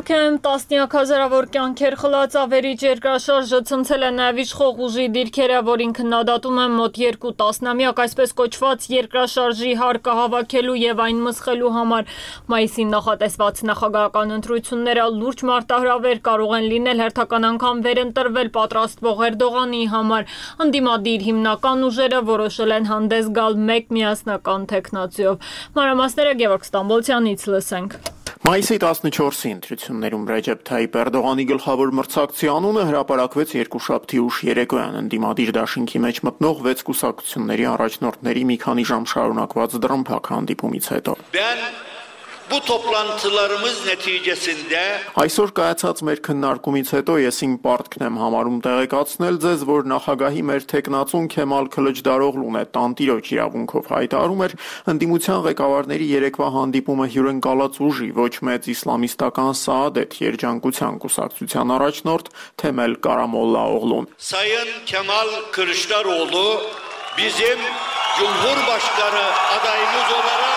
Թուրքիայում տասնյակ հազարավոր կյանքեր խլած ավերիչ երկրաշարժը ցնցել է նաև իշխող ուժի դիրքերը, որին քննադատում են մոտ 2 տասնամյակ այսպես կոչված երկրաշարժի հարկը հավաքելու եւ այն մսխելու համար։ Մայիսին նախատեսված նախագահական ընտրությունները լուրջ մարտահրավեր կարող են լինել հերթական անգամ վերընտրվել պատրաստվող Էրդողանի համար։ Ընդդիմադիր հիմնական ուժերը որոշել են հանդես գալ մեկ միասնական թեկնածուով։ Մանրամասները Գևորգ Ստամբոլցյանից լսենք։ Մայիսի 14-ի ընտրություններում Ռեջեփ Թայիփ Էրդողանի գլխավոր մրցակցի անունը հրապարակվեց երկուշաբթի ուշ երեկոյան ընդդիմադիր դաշինքի մեջ մտնող 6 կուսակցությունների առաջնորդների մի քանի ժամ շարունակված դռնփակ հանդիպումից հետո։ Bu toplantılarımız neticesinde Այսօր կայացած մեր քննարկումից հետո ես իմ պարտքն եմ համարում տեղեկացնել ձեզ, որ նախագահի մեր թեկնածուն Քեմալ Քլիչդարօղլուն է տանտիրոջ իրավունքով հայտարարում էր ընդդիմության ղեկավարների երեկվա հանդիպումը հյուրընկալած ուժի ոչ մեծ իսլամիստական Սաադեթ երջանկության կուսակցության առաջնորդ Թեմել Կարամոլլաօղլուն։ Sayın Kemal Kılıçdaroğlu bizim Cumhurbaşkanı adayımız olarak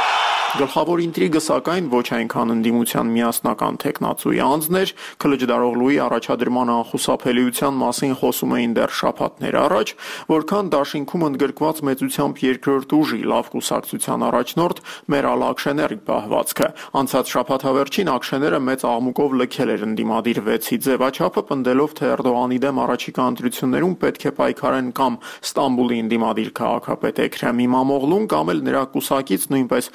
Գլխավոր ինտրիգը սակայն ոչ այնքան ընդդիմության միասնական թեկնածուի անձն էր, Քլիչդարօղլուի առաջադրման անխուսափելիության մասին խոսում էին դեռ շաբաթներ առաջ, որքան դաշինքում ընդգրկված մեծությամբ երկրորդ ուժի լավ կուսակցության առաջնորդ Մերալ Աքշեների պահվածքը։ Անցած շաբաթավերջին Աքշեները մեծ աղմուկով լքել էր ընդդիմադիր 6-ի ձևաչափը, պնդելով, թե Էրդողանի դեմ առաջիկա ընտրություններում պետք է պայքարեն կամ Ստամբուլի ընդդիմադիր քաղաքապետ Էքրեմ Իմամօղլուն կամ էլ նրա կուսակից նույնպես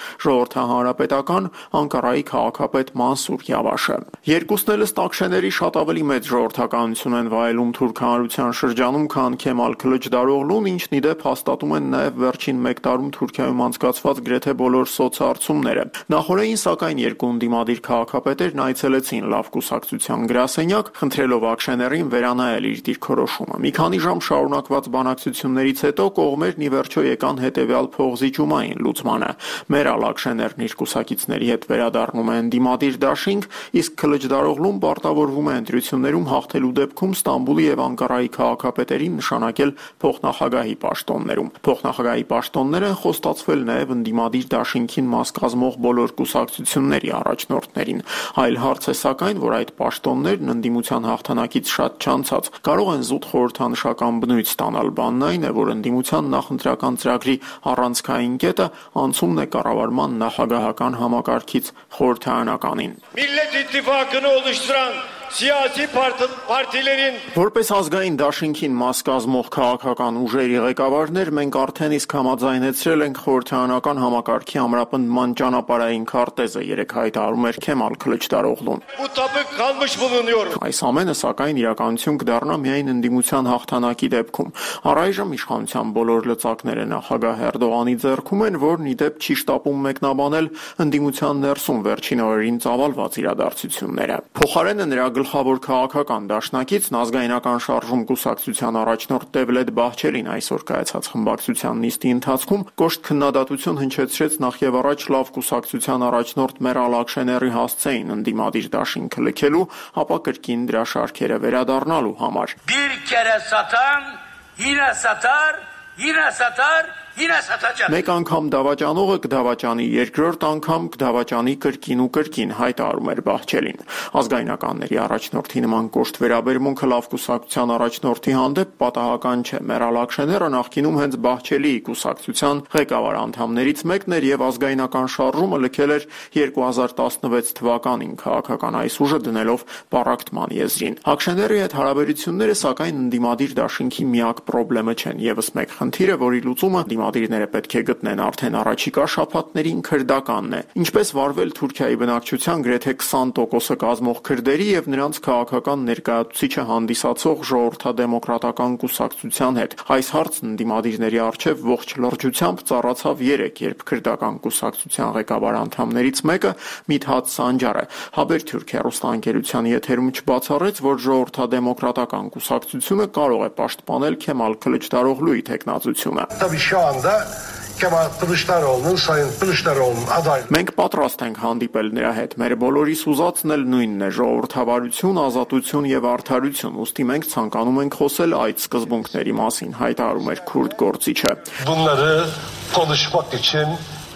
Հանրապետական Անկարայի քաղաքապետ Մանսուր Յավաշը։ Երկուսն էլ ըստ Աքշեների շատ ավելի մեծ ժողովրդականություն են վայելում թուրք հանրության շրջանում, քան Քեմալ Քլիչդարօղլուն, ինչն ի դեպ հաստատում են նաև վերջին 1 տարում Թուրքիայում անցկացված գրեթե բոլոր սոցհարցումները։ Նախորդին սակայն երկու ընդդիմադիր քաղաքապետերն այցելեցին լավ կուսակցության գրասենյակ, խնդրելով Աքշեներին վերանայել իր դիրքորոշումը։ Մի քանի ժամ շարունակված բանակցություններից հետո կողմերն ի վերջո եկան հետևյալ փողզիջումային լուծմանը։ Մերալ Աքշեն Փոխարենն իր կուսակիցների հետ վերադառնում է ընդդիմադիր դաշինք, իսկ Քլիչդարօղլուն պարտավորվում է ընտրություններում հաղթելու դեպքում Ստամբուլի եւ Անկարայի քաղաքապետերին նշանակել փոխնախագահի պաշտոններում։ Փոխնախագահի պաշտոններ են խոստացվել նաեւ ընդդիմադիր դաշինքին մաս կազմող բոլոր կուսակցությունների առաջնորդներին։ Այլ հարց է սակայն, որ այդ պաշտոններն ընդդիմության հաղթանակից շատ չանցած կարող են զուտ խորհրդանշական բնույթ ստանալ։ Բանն այն է, որ ընդդիմության նախընտրական ծրագրի առանցքային կետը անցումն է կառավարման նախագահական համակարգից խորհրդարանականին։ Millet İttifakı'nı oluşturan siyasi partilerin Որպես ազգային դաշինքին մաս կազմող քաղաքական ուժերի ղեկավարներ մենք արդեն իսկ համաձայնեցրել ենք խորհրդարանական համակարգի ամրապնդման ճանապարհային քարտեզը, երեք հայտարարում էր Քեմալ Քլիչդարօղլուն։ bu tabık kalmış bulunuyor. Այս ամենը սակայն իրականություն կդառնա միայն ընդդիմության հաղթանակի դեպքում։ Առայժմ իշխանության բոլոր լծակները նախագահ Էրդողանի ձեռքում են, որն ի դեպ չի շտապում մեկնաբանել ընդդիմության ներսում վերջին օրերին ծավալված իրադարձությունները։ Փոխարենը նրա գլխավոր քաղաքական դաշնակիցն ազգայնական շարժում կուսակցության առաջնորդ Դևլետ Բահչելին այսօր կայացած խմբակցության նիստի ընթացքում կոշտ քննադատություն հնչեցրեց նախ եւ առաջ լավ կուսակցության առաջնորդ Մերալ Աքշեների հասցեին ընդդիմադիր դաշինքը լքելու, ապա կրկին դրա շարքերը վերադառնալու համար։ Bir kere satan yine satar, yine satar. Մեկ անգամ դավաճանողը կդավաճանի, երկրորդ անգամ կդավաճանի կրկին ու կրկին, հայտարարում էր Բահչելին։ Ազգայնականների առաջնորդի նման կոշտ վերաբերմունքը լավ կուսակցության առաջնորդի հանդեպ պատահական չէ։ Մերալ Աքշեները նախկինում հենց Բահչելիի կուսակցության ղեկավար անդամներից մեկն էր եւ ազգայնական շարժումը լքել էր 2016 թվականին քաղաքական այս ուժը դնելով պառակտման եզրին։ Աքշեների հետ հարաբերությունները սակայն ընդդիմադիր դաշինքի միակ խնդիրը չեն, եւս մեկ խնդիրը, որի լուծումը Դիմադիրները պետք է գտնեն արդեն առաջիկա շաբաթներին քրդականն է։ Ինչպես վարվել Թուրքիայի բնակչության գրեթե 20%-ը կազմող քրդերի եւ նրանց քաղաքական ներկայացուցիչը հանդիսացող ժողովրդադեմոկրատական կուսակցության հետ։ Այս հարցն դիմադիրների առջև ողջ լրջությամբ ծառացավ երեք, երբ քրդական կուսակցության ղեկավար անդամներից մեկը Միթհատ Սանջարը Haber Türkiye ռուստանգերության եթերում չբացառեց, որ ժողովրդադեմոկրատական կուսակցությունը կարող է պաշտպանել Քեմալ Քլիչդարօղլուի տեխնացությունը։ Մենք պատրաստ ենք հանդիպել նրա հետ։ Մեր բոլորիս ուզածն էլ նույնն է՝ ժողովրդավարություն, ազատություն եւ արդարություն։ Ուստի մենք ցանկանում ենք խոսել այդ սկզբունքների մասին, հայտարարում էր քուրդ գործիչը։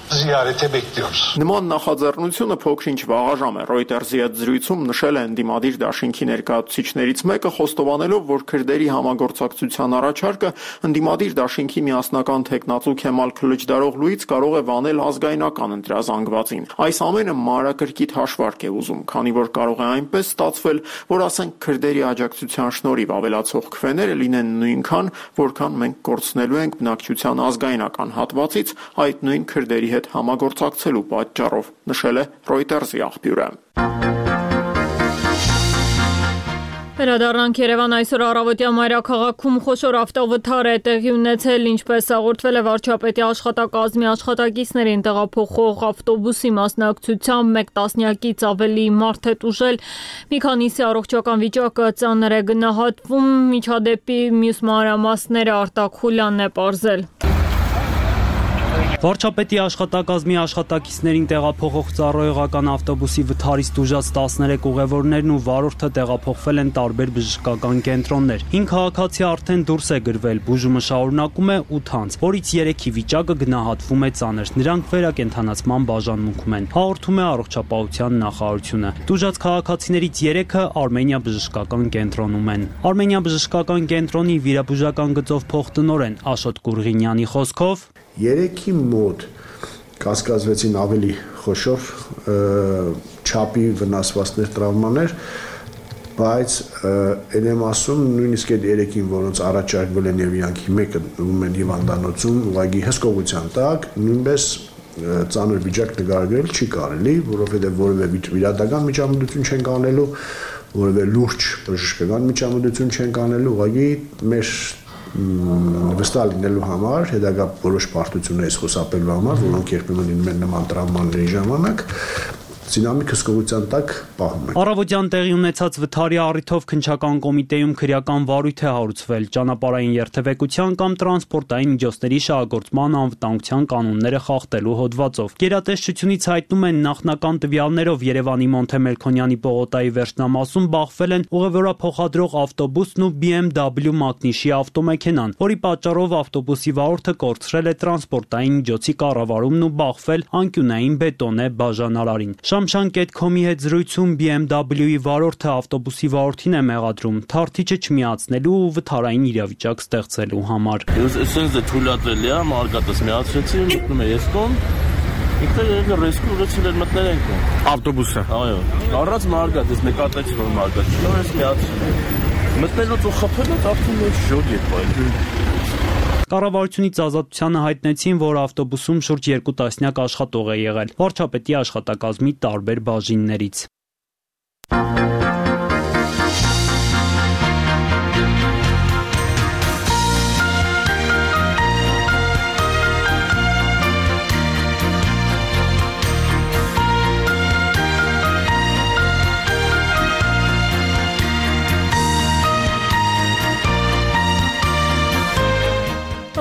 Ziyarete bekliyoruz. Նման նախաձեռնությունը փոքր-ինչ վաղաժամ է։ Reuters-ի հետ զրույցում նշել է ընդդիմադիր դաշինքի ներկայացուցիչներից մեկը, խոստովանելով, որ քրդերի համագործակցության առաջարկը ընդդիմադիր դաշինքի միասնական տեխնացու Քեմալ Քլիչդարօղլուից կարող է վանել ազգայնական ընտրազանգվածին։ Այս ամենը մանրակրկիտ հաշվարկ է ուզում, քանի որ կարող է այնպես ստացվել, որ ասենք քրդերի աջակցության շնորհիվ ավելացող քվեները լինեն նույնքան, որքան մենք կորցնելու ենք բնակչության ազգայնական հատվածից այդ նույն քրդերի հետ համագործակցելու պատճառով, նշել է Reuters-ի աղբյուրը։ Վերադառնանք Երևան, այսօր առավոտյա մայրաքաղաքում խոշոր ավտովթար է տեղի ունեցել, ինչպես հաղորդվել է վարչապետի աշխատակազմի աշխատակիցներին տեղափոխող ավտոբուսի մասնակցությամբ 1 տասնյակից ավելի մարդ է տուժել, մի քանիսի առողջական վիճակը ծանր է գնահատվում, միջադեպի մյուս մանրամասները Արտակ Խուլյանն է պարզել։ Վարչապետի աշխատակազմի աշխատակիցներին տեղափոխող ծառայողական ավտոբուսի վթարից տուժած 13 ուղևորներն ու վարորդը տեղափոխվել են տարբեր բժշկական կենտրոններ։ 5 քաղաքացի արդեն դուրս է գրվել, բուժումը շարունակում է 8 անց, որից 3-ի վիճակը գնահատվում է ծանր։ Նրանք վերակենդանացման բաժանմունքում են, հաղորդում է առողջապահության նախարարությունը։ Տուժած քաղաքացիներից 3-ը Արմենիա բժշկական կենտրոնում են։ Արմենիա բժշկական կենտրոնի վիրաբուժական գծով փոխտնօրեն Աշոտ Կուրղինյանի խոսքով 3-ի մոտ կասկածվեցին ավելի խոշոր չափի վնասվածքներ, տրավմաներ, բայց այն եմ ասում, նույնիսկ այդ 3-ին, որոնց առաջարկվել են եւ իրանքի մեկը ում են հիվանդանոցում, ուղղակի հսկողության տակ, նույնպես ծանր վիճակ նկարագրել չի կարելի, որովհետեւ որևէ վիրադական միջամտություն չեն կանելու, որևէ լուրջ բժշկական միջամտություն չեն կանելու, ուղղակի մեր վստահ լինելու համար, հետագա որոշ պարտություններից խուսափելու համար, որոնք երբեմն լինում են նման տրավմաների ժամանակ, դինամիկ հսկողության տակ պահում են։ Առավոտյան տեղի ունեցած վթարի առիթով քննչական կոմիտեում քրեական վարույթ է հարուցվել ճանապարհային երթևեկության կամ տրանսպորտային միջոցների շահագործման անվտանգության կանոնները խախտելու հոդվածով։ Գերատեսչությունից հայտնում են նախնական տվյալներով Երևանի Մոնթե Մելքոնյանի պողոտայի վերջնամասում բախվել են ուղևորափոխադրող ավտոբուսն ու BMW մակնիշի ավտոմեքենան, որի պատճառով ավտոբուսի վարորդը կորցրել է տրանսպորտային միջոցի կառավարումն ու բախվել անկյունային բետոնե բաժանարարին։ Շամշան.com-ի հետ զրույցում BMW-ի վարորդը ավտոբուսի վարորդին է մեղադրում թարթիչը չմիացնելու ու վթարային իրավիճակ ստեղծելու համար։ Այսինքն դե թույլատրելի է մարգատս միացրեցի, մտնում է ես կողմ։ Ինքը ռիսկը ուղղեցել էր մտնել ենք ավտոբուսը։ Այո։ Առանց մարգատ, ես նկատեցի որ մարգատ չկա, ես միացրի։ Մտնելուց ու խփելուց արդեն ես շոկ եկ բայ։ Կառավարությունից ազատությանը հայտնեցին, որ ավտոբուսում շուրջ 2 տասնյակ աշխատող է եղել վարչապետի աշխատակազմի տարբեր բաժիններից։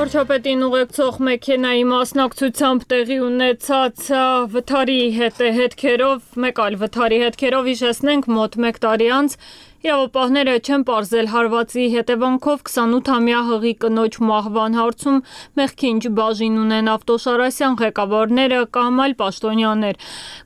Վարչապետին ուղեկցող մեքենայի մասնակցությամբ տեղի ունեցած վթարի հետքերով, մեկ այլ վթարի հետքերով հիշեցնենք մոտ 1 տարի անց իրավապահները չեն պարզել հարվածի հետևանքով 28-ամյա հղի կնոջ մահվան հարցում մեղքի ինչ բաժին ունեն Ավտոշարասյան ղեկավարները կամ այլ պաշտոնյաներ։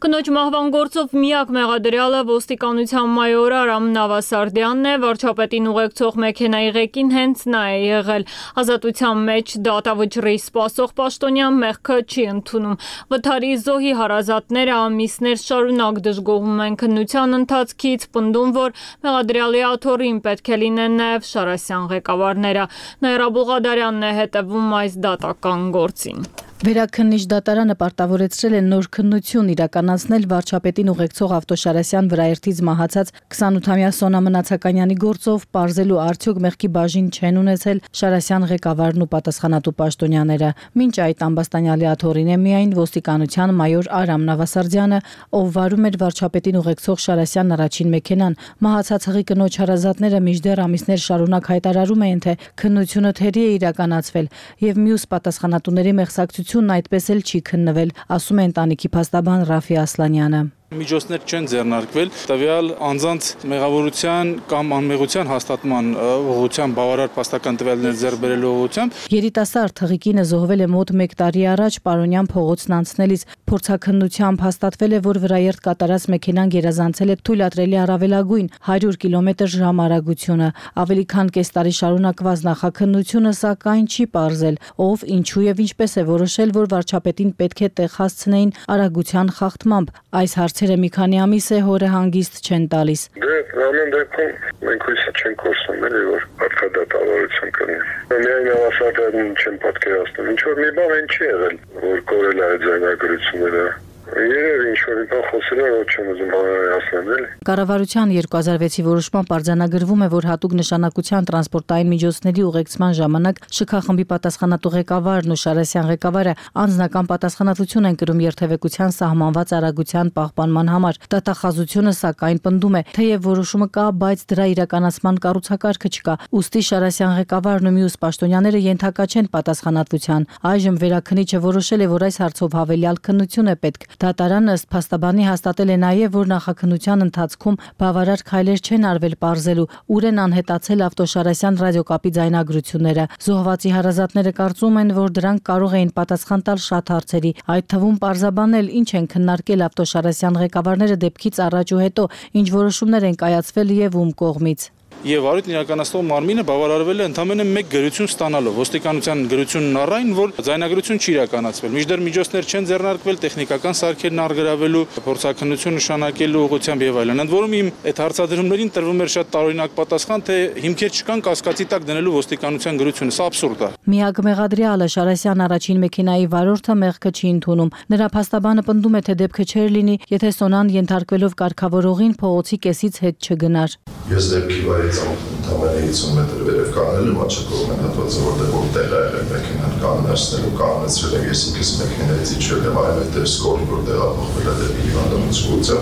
Կնոջ մահվան գործով միակ մեղադրյալը ոստիկանության մայոր Արամ Նավասարդյանն է, վարչապետին ուղեկցող մեքենայի ղեկին հենց նա է եղել։ Ազատության մեջ դատավճռի սպասող պաշտոնյան մեղքը չի ընդունում։ Վթարի զոհի հարազատները ամիսներ շարունակ դժգոհում են քննության ընթացքից, պնդում, որ մեղադրյալի աթոռին պետք է լինեն նաև Շարասյան ղեկավարները։ Նաիրա Բուղադարյանն է հետևում այս դատական գործին։ Վերաքննիչ դատարանը պարտավորեցրել է նոր քննություն իրականացնել վարչապետին ուղեկցող Ավտոշարասյան վրաերթից մահացած 28-ամյա Սոնա Մնացականյանի գործով պարզելու արդյոք մեղքի բաժին չեն ունեցել Շարասյան ղեկավարն ու պատասխանատու պաշտոնյաները։ Մինչ այդ ամբաստանյալի աթոռին է միայն ոստիկանության մայոր Արամ Նավասարդյանը, ով վարում էր վարչապետին ուղեկցող Շարասյան առաջին մեքենան։ Մահացած հղի կնոջ հարազատները մինչդեռ ամիսներ շարունակ հայտարարում էին, թե քննությունը թերի է իրականացվել եւ մյուս պատասխանատուների մեղսակցությունն այդպես էլ չի քննվել, ասում է ընտանիքի փաստաբան Ռաֆի Ասլանյանը։ Միջոցներ չեն ձեռնարկվել տվյալ անձանց մեղավորության կամ անմեղության հաստատման ուղղությամբ բավարար փաստական տվյալներ ձեռք բերելու ուղղությամբ երիտասարդ հղիկինը զոհվել է մոտ 1 տարի առաջ Պարոնյան փողոցն անցնելիս փորձաքննությամբ հաստատվել է, որ վրաերթ կատարած մեքենան գերազանցել է թույլատրելի առավելագույն 100 կմ/ժ արագությունը։ Ավելի քան կես տարի շարունակված նախաքննությունը սակայն չի պարզել, ով, ինչու եւ ինչպես է որոշել, որ վարչապետին պետք է տեղ հասցնեին արագության խախտմամբ։ Այս հարցերը մի քանի ամիս է հորը հանգիստ չեն տալիս։ Դե ամեն դեպքում մենք հույս չենք կորցնում, էլի որ արտադատավարություն կլինի։ Միայն Նավասարդյանին չեն պատկերացնում։ Ինչ որ մի բան այն չի եղել, որ կորել է այդ ձայնագրությունները։ Երևի ինչ-որ մի բան խոսել է, որ չեմ ուզում բանալիացնել, էլի։ Կառավարության 2006-ի որոշման արձանագրվում է, որ հատուկ նշանակության տրանսպորտային միջոցների ուղեկցման ժամանակ ՇՔ խմբի պատասխանատու ղեկավարն ու Շարասյան ղեկավարը անձնական պատասխանատվություն են կրում երթևեկության սահմանված արագության պահպանման համար։ Դատախազությունը սակայն պնդում է, թեև որոշումը կա, բայց դրա իրականացման կառուցակարգը չկա։ Ուստի Շարասյան ղեկավարն ու մյուս պաշտոնյաները ենթակա չեն պատասխանատվության։ Այժմ վերաքննիչը որոշել է, որ այս հարցով հավելյալ քննություն է պետք։ Դատարանը ըստ փաստաբանի հաստատել է նաև, որ նախաքննության ընթացքում բավարար քայլեր չեն արվել պարզելու ուր են անհետացել Ավտոշարասյան ռադիոկապի ձայնագրությունները։ Զոհվածի հարազատները կարծում են, որ դրանք կարող էին պատասխան տալ շատ հարցերի, այդ թվում պարզաբանել ինչ են քննարկել Ավտոշարասյան ղեկավարները դեպքից առաջ ու հետո, ինչ որոշումներ են կայացվել եւ ում կողմից։ Եվ առիթ իրականացնող մարմինը բավարարվել է ընդամենը մեկ գրություն ստանալով ոստիկանության գրությունն առայն, որ ձայնագրություն չի իրականացվել։ Մինչդեռ միջոցներ չեն ձեռնարկվել տեխնիկական սարքերն արգրավելու, փորձաքննություն նշանակելու ուղղությամբ եւ այլն։ Ընդ որում իմ այդ հարցադրումներին տրվում էր շատ տարօրինակ պատասխան, թե հիմքեր չկան կասկածի տակ դնելու ոստիկանության գրությունը։ Սա աբսուրդ է։ Միակ մեղադրյալը Շարասյան առաջին մեքենայի վարորդը մեղքը չի ընդունում։ Նրա փաստաբանը պնդում է, թե դեպքը չէր լինի, եթե Սոնան ենթարկվելով կարգավորողին փողոցի կեսից հետ չգնար։ Ես դեպքի վայրի ընդամենը 50 մետր վերև կանել մաչակողմեն հատվածը, որտեղ որ տեղ է եղել մեքենան կաննացնելու, կաննացրել եմ ես ինքս մեքենայից իջել եմ այլևս սկորի, որ տեղափոխվել է դեպի հիվանդանոցը,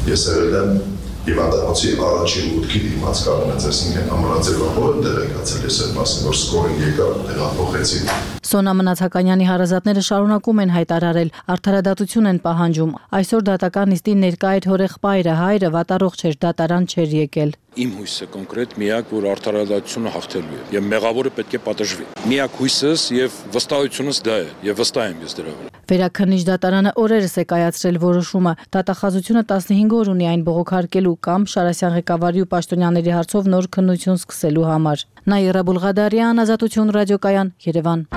ես եղել եմ հիվանդանոցի առաջին մուտքի դիմաց կանոնից, այսինքն ամրաձևավոր տեղեկացել ես այդ մասին, որ սկորին եկավ տեղափոխեցին։ Սոնա Մնացականյանի հարազատները շարունակում են հայտարարել, արդարադատություն են պահանջում։ Այսօր դատական նիստին ներկա էր հորեղբայրը, հայրը վատառողջ էր, դատարան չէր եկել։ Իմ հույսը կոնկրետ միակ, որ արդարադատությունը հաղթելու է եւ մեղավորը պետք է պատժվի։ Միակ հույսս եւ վստահությունս դա է եւ վստահ եմ ես դրա վրա։ Վերաքննիչ դատարանը օրերս է կայացրել որոշումը։ Դատախազությունը 15 օր ունի այն բողոքարկելու կամ Շարասյան ղեկավարի ու պաշտոնյաների հարցով նոր քննություն սկսելու համար։ Նաիրա Բուլղադարյան, Ազատություն ռադիոկայան, Երևան։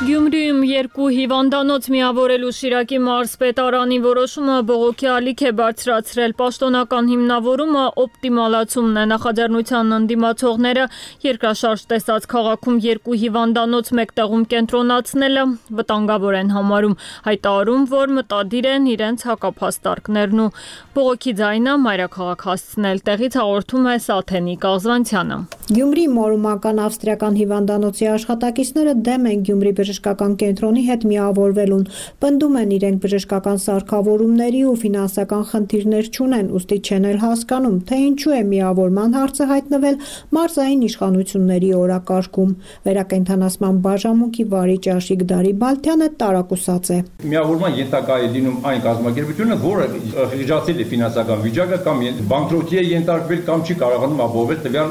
Գյումրիում 2 հիվանդանոց միավորելու Շիրակի մարզպետարանի որոշումը բողոքի ալիք է բարձրացրել։ Պաշտոնական հիմնավորումը օպտիմալացումն է։ Նախաձեռնության ընդդիմացողները երկրաշարժ տեսած քաղաքում 2 հիվանդանոց մեկտեղում կենտրոնացնելը վտանգավոր են համարում, հայտարարում, որ մտադիր են իրենց հակափաստարկներն ու բողոքի ձայնը մայրաքաղաք հասցնել։ Տեղից հաղորդում է Սաթենիկ Աղզվանցյանը։ Գյումրի մորումական ավստրիական հիվանդանոցի աշխատակիցները դեմ են Գյումրի բժշկական կենտրոնի հետ միավորվելուն, պնդում են իրենք բժշկական սարքավորումների ու ֆինանսական խնդիրներ չունեն, ուստի չեն էլ հասկանում, թե ինչու է միավորման հարցը հայտնվել մարզային իշխանությունների օրակարգում։ Վերակենդանացման բաժանմունքի վարիչ Աշիկ Դարիբալթյանը տարակուսած է։ Միավորման ենթակա է դինում այն կազմակերպությունը, որը խիղճացել է ֆինանսական վիճակը կամ բանկրոտի է ենթարկվել կամ չի կարողանում ապահովել տվյալ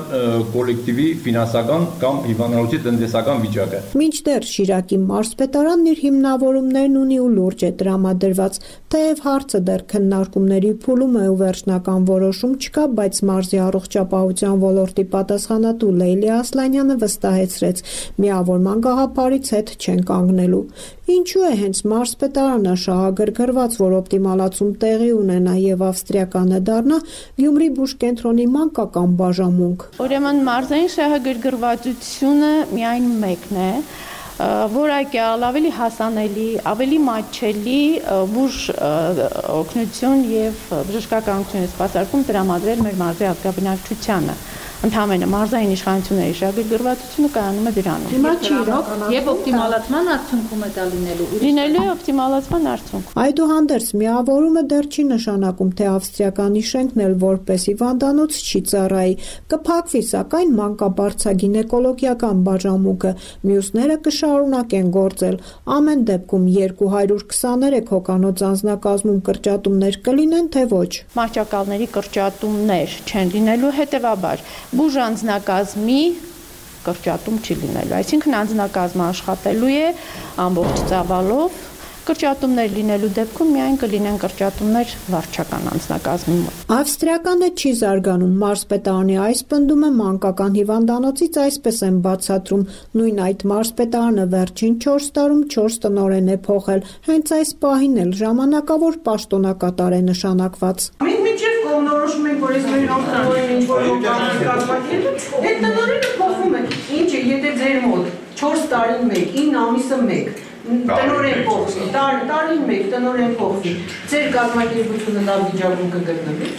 կոլեկտիվի ֆինանսական կամ հիվանդանոցի տնտեսական վիճակը։ Մինչդեռ Շիրակի մարզպետարանն իր հիմնավորումներն ունի ու լուրջ է տրամադրված, թեև հարցը դեռ քննարկումների փուլում է ու վերջնական որոշում չկա, բայց մարզի առողջապահության ոլորտի պատասխանատու Լեյլի Ասլանյանը վստահեցրեց, միավորման գաղափարից հետ չեն կանգնելու։ Ինչու է հենց մարզպետարանը շահագրգռված, որ օպտիմալացում տեղի ունենա եւ ավստրիականը դառնա Գյումրի բուժկենտրոնի մանկական բաժանմունք։ Ուրեմն մարզային շահագրգռվածությունը միայն մեկն է, որակյալ, ավելի հասանելի, ավելի մատչելի բուժ օգնություն եւ բժշկականություն սպասարկում տրամադրել մեր մարզի ազգաբնակչությանը։ Ընդհանրապես մարզային իշխանությունների շահագրգռվածությունը կայանում է դրանում։ Հիմա չի իրոք եւ օպտիմալացման արդյունքում է դա լինելու է օպտիմալացման արդյունք։ Այդուհանդերձ միավորումը դեռ չի նշանակում, թե ավստրիականի շենքն էլ որպես հիվանդանոց չի ծառայի։ Կփակվի, սակայն մանկաբարձագինեկոլոգիական բաժանմունքը, մյուսները կշարունակեն գործել։ Ամեն դեպքում 223 հոգանոց անձնակազմում կրճատումներ կլինեն, թե ոչ։ Մահճակալների կրճատումներ չեն լինելու, հետեւաբար բուժ անձնակազմի կրճատում չի լինելու, այսինքն անձնակազմը աշխատելու է ամբողջ ծավալով, կրճատումներ լինելու դեպքում միայն կլինեն կրճատումներ վարչական անձնակազմի մոտ։ Ավստրիականը չի զարգանում, մարզպետարանի այս պնդումը մանկական հիվանդանոցից այսպես են բացատրում, նույն այդ մարզպետարանը վերջին 4 տարում 4 տնօրեն է փոխել, հենց այս պահին էլ ժամանակավոր պաշտոնակատար է նշանակված։ Մինչև կողմնորոշում ենք, որ ես մեր տնօրենը ինչ-որ բան կազմակերպել, այդ տնօրենը փոխվում է։ Ինչ է, եթե ձեր մոտ 4 տարին մեկ, 9 ամիսը մեկ տնօրեն փոխվի, տարին մեկ տնօրեն փոխվի, ձեր կազմակերպությունը լավ վիճակում կգտնվի։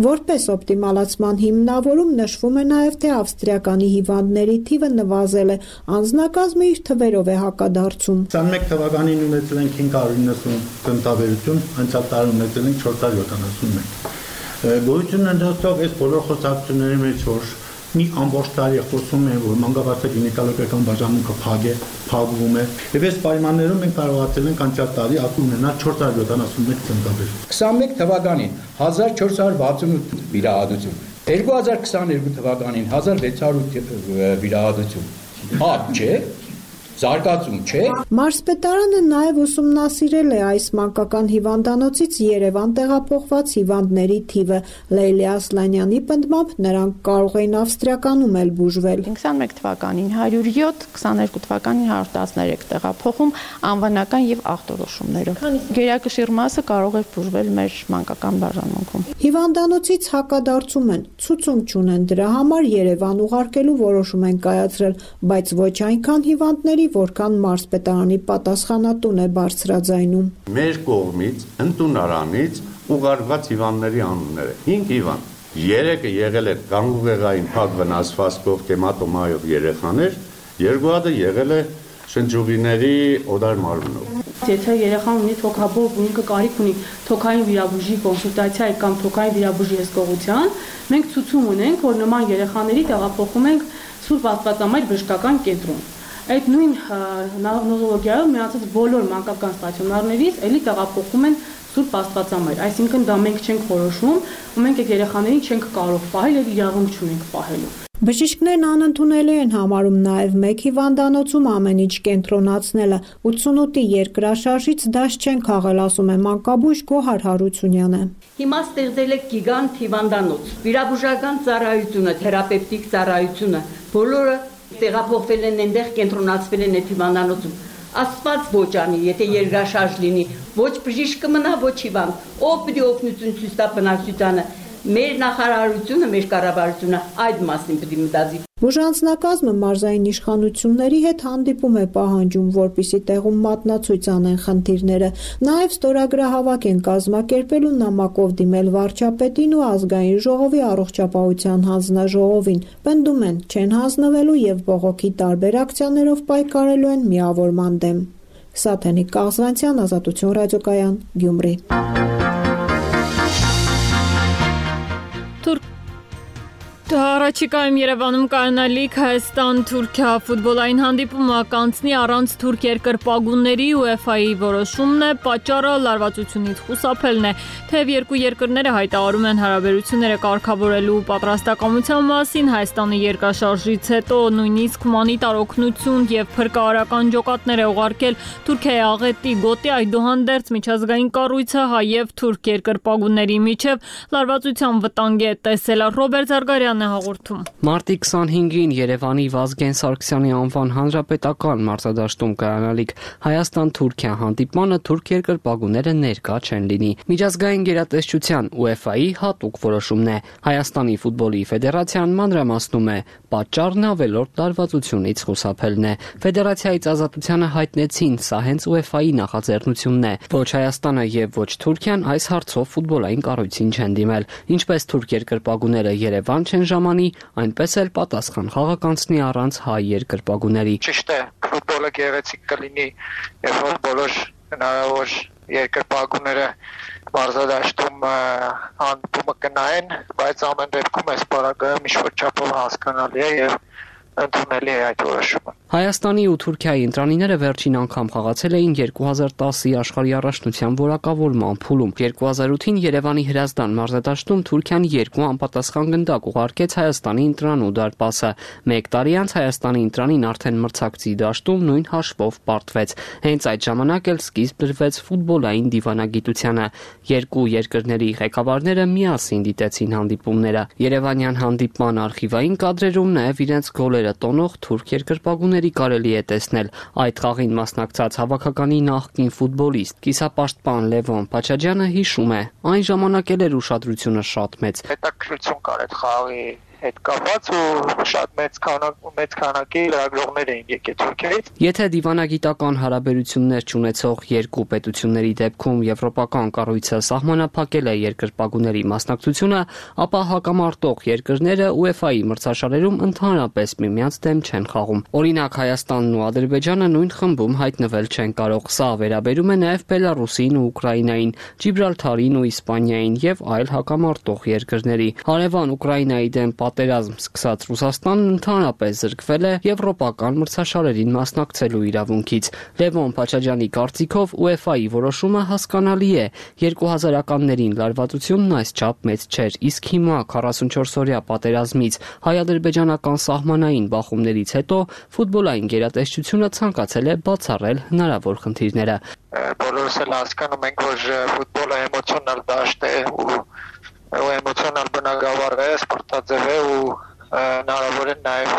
Որպես օպտիմալացման հիմնավորում նշվում է նաև, թե ավստրիականի հիվանդների թիվը նվազել է, անձնակազմը իր թվերով է հակադարձում։ 21 թվականին ունեցել ենք 590 տնտավերություն, անցյալ տարի ունեցել ենք 471։ Գոյություն ընդհանրով այս բոլոր խոսակցությունների մեջ, որ մի ամբողջ տարի խոսում են, որ մանկաբարձագինեկոլոգիական բաժանմունքը փակվում է, եւ այս պայմաններում մենք կարողացել ենք անցյալ տարի ունենալ 471 տնտավեր։ 21 թվականին 1468 վիրահատություն, 2022 թվականին 1600 վիրահատություն։ Հապ չէ։ Զարգացում չէ։ Մարզպետարանը նաև ուսումնասիրել է այս մանկական հիվանդանոցից Երևան տեղափոխված հիվանդների թիվը։ Լեյլի Ասլանյանի պնդմամբ նրանք կարող էին ավստրիականում էլ բուժվել։ 21 թվականին 107, 22 թվականին 113 տեղափոխում անվանական եւ ախտորոշումներով։ Գերակշիռ մասը կարող էր բուժվել մեր մանկական բաժանմունքում։ Հիվանդանոցից հակադարձում են, ցուցում չունեն դրա համար Երևան ուղարկելու որոշում են կայացրել, բայց ոչ այնքան հիվանդների, Տեսի, որքան մարզպետարանի պատասխանատուն է բարձրաձայնում։ Մեր կողմից ընդունարանից ուղարկված հիվանդների անունները 5 հիվանդ, 3-ը եղել է գանգուղեղային փակ վնասվածքով կեմատոմայով երեխաներ, 2 հատը եղել է շնչուղիների օդար մարմնով։ Եթե երեխան ունի թոքաբով ու ինքը կարիք ունի թոքային վիրաբուժի կոնսուլտացիայի կամ թոքային վիրաբուժի հսկողության, մենք ցուցում ունենք, որ նման երեխաների տեղափոխում ենք Սուրբ Աստվածամայր բժշկական կենտրոն։ Այդ նույն նոզոլոգիայով միացած բոլոր մանկական ստացիոնարներից էլի տեղափոխում են Սուրբ Աստվածամայր, այսինքն դա մենք չենք որոշում, ու մենք այդ երեխաներին չենք կարող պահել եւ իրավունք չունենք պահելու։ Բժիշկներն անընդունելի են համարում նաև մեկ հիվանդանոցում ամեն ինչ կենտրոնացնելը։ 88-ի երկրաշարժից դաշ չեն քաղել, ասում է մանկաբույժ Գոհար Հարությունյանը։ Հիմա ստեղծել է գիգանտ հիվանդանոց, վիրաբուժական ծառայությունը, թերապևտիկ ծառայությունը, բոլորը տեղափոխվել են այնտեղ, կենտրոնացվել են այդ հիվանդանոցում։ Աստված ոչ անի, եթե երկրաշարժ լինի, ոչ բժիշկը մնա, ոչ հիվանդ, ով պիտի օգնություն ցույց տա բնակչությանը։ Մեր նախարարությունը, մեր կառավարությունը այդ մասին պետք է մտածի։ Բուժանձնակազմը մարզային իշխանությունների հետ հանդիպում է պահանջում, որպիսի տեղում մատնացույց անեն խնդիրները։ Նաև ստորագրահավաք են կազմակերպել ու նամակով դիմել վարչապետին ու ազգային ժողովի առողջապահության հանձնաժողովին։ Պնդում են, չեն հանձնվելու եւ բողոքի տարբեր ակցիաներով պայքարելու են միավորման դեմ։ Սաթենիկ Կաղզվանցյան, Ազատություն ռադիոկայան, Գյումրի։ Առաջիկայում Երևանում կայանալիք Հայաստան-Թուրքիա ֆուտբոլային հանդիպումը կանցնի առանց թուրք երկրպագուների UEFA-ի որոշումն է, պատճառը լարվածությունից խուսափելն է, թեև երկու երկրները հայտարարում են հարաբերությունները կարգավորելու պատրաստակամության մասին, Հայաստանը երկրաշարժից հետո նույնիսկ հումանիտար օգնություն եւ փրկարարական ջոկատներ է ուղարկել Թուրքիայի աղետի գոտի, այդուհանդերձ միջազգային կառույցը հայ եւ թուրք երկրպագուների միջև լարվածության վտանգ է տեսել։ Ռոբերտ Զարգարյանը հաղորդում։ Մարտի 25-ին Երևանի Վազգեն Սարգսյանի անվան հանրապետական մարզադաշտում կայանալիք Հայաստան-Թուրքիա հանդիպմանը թուրք երկրպագուները ներկա չեն լինի։ Միջազգային գերատեսչության UEFA-ի հատուկ որոշումն է։ Հայաստանի ֆուտբոլի ֆեդերացիան մանրամասնում է, պատճառն ավելորդ լարվածությունից խուսափելն է։ Ֆեդերացիայից ազատությանը հայտնեցին, սա հենց UEFA-ի նախաձեռնությունն է։ Ոչ Հայաստանը եւ ոչ Թուրքիան այս հարցով ֆուտբոլային կառույցին չեն դիմել, ինչպես թուրք երկրպագուները Երևան չեն ժամանի, այնպես էլ պատասխան խաղականցնի առանց հայ երկրպագուների։ Ճիշտ է, ֆուտբոլը գեղեցիկ կլինի, երբ որ բոլոր հնարավոր երկրպագուները մարզադաշտում հանդիպումը կնայեն, բայց ամեն դեպքում այս պարագայում ինչ-որ չափով հասկանալի է եւ ընդունելի է այդ որոշումը։ Հայաստանի ու Թուրքիայի ընտրանիները վերջին անգամ խաղացել էին 2010-ի աշխարհի առաջնության որակավորման փուլում։ 2008-ին Երևանի Հրազդան մարզադաշտում Թուրքիան 2 անպատասխան գնդակ ուղարկեց Հայաստանի ընտրանու դարպասը։ 1 տարի անց Հայաստանի ընտրանին արդեն մրցակցի դաշտում նույն հաշվով պարտվեց։ Հենց այդ ժամանակ էլ սկիզբ դրվեց ֆուտբոլային դիվանագիտությանը։ Երկու երկրների ղեկավարները միասին դիտեցին հանդիպումները։ Երևանյան հանդիպման արխիվային կադրերում նաև իրենց գոլերը տոնող թուրք երկրպագուների կարելի է տեսնել։ Այդ խաղին մասնակցած հավաքականի նախկին ֆուտբոլիստ, կիսապաշտպան Լևոն Փաչաջյանը հիշում է, այն ժամանակ էլ էր ուշադրությունը շատ մեծ։ Հետաքրքրություն կար այդ խաղի հետ կապված ու շատ մեծ քանակի լրագրողներ էին եկել Թուրքիայից։ Եթե դիվանագիտական հարաբերություններ չունեցող երկու պետությունների դեպքում եվրոպական կառույցը սահմանափակել է երկրպագուների մասնակցությունը, ապա հակամարտող երկրները UEFA-ի մրցաշարերում ընդհանրապես միմյանց դեմ չեն խաղում։ Օրինակ Հայաստանն ու Ադրբեջանը նույն խմբում հայտնվել չեն կարող։ Սա վերաբերում է նաև Բելարուսին ու Ուկրաինային, Ջիբրալթարին ու Իսպանիային եւ այլ հակամարտող երկրների։ Հարևան Ուկրաինայի դեմ պատերազմ սկսած Ռուսաստանն ընդհանրապես զրկվել է եվրոպական մրցաշարերին մասնակցելու իրավունքից։ Լևոն Փաչաջյանի կարծիքով UEFA-ի որոշումը հասկանալի է։ 2000-ականներին լարվածությունն այսչափ մեծ չէր, իսկ հիմա 44-օրյա պատերազմից հայ-ադրբեջանական սահմանային բախումներից հետո ֆուտբոլային գերատեսչությունը ցանկացել է բացառել հնարավոր խնդիրները։ Բոլորս էլ հասկանում ենք, որ ֆուտբոլը էմոցիոնալ դաշտ է ու էմոցիոնալ բնագավառ է, սպորտաձև է ու հնարավոր է նաև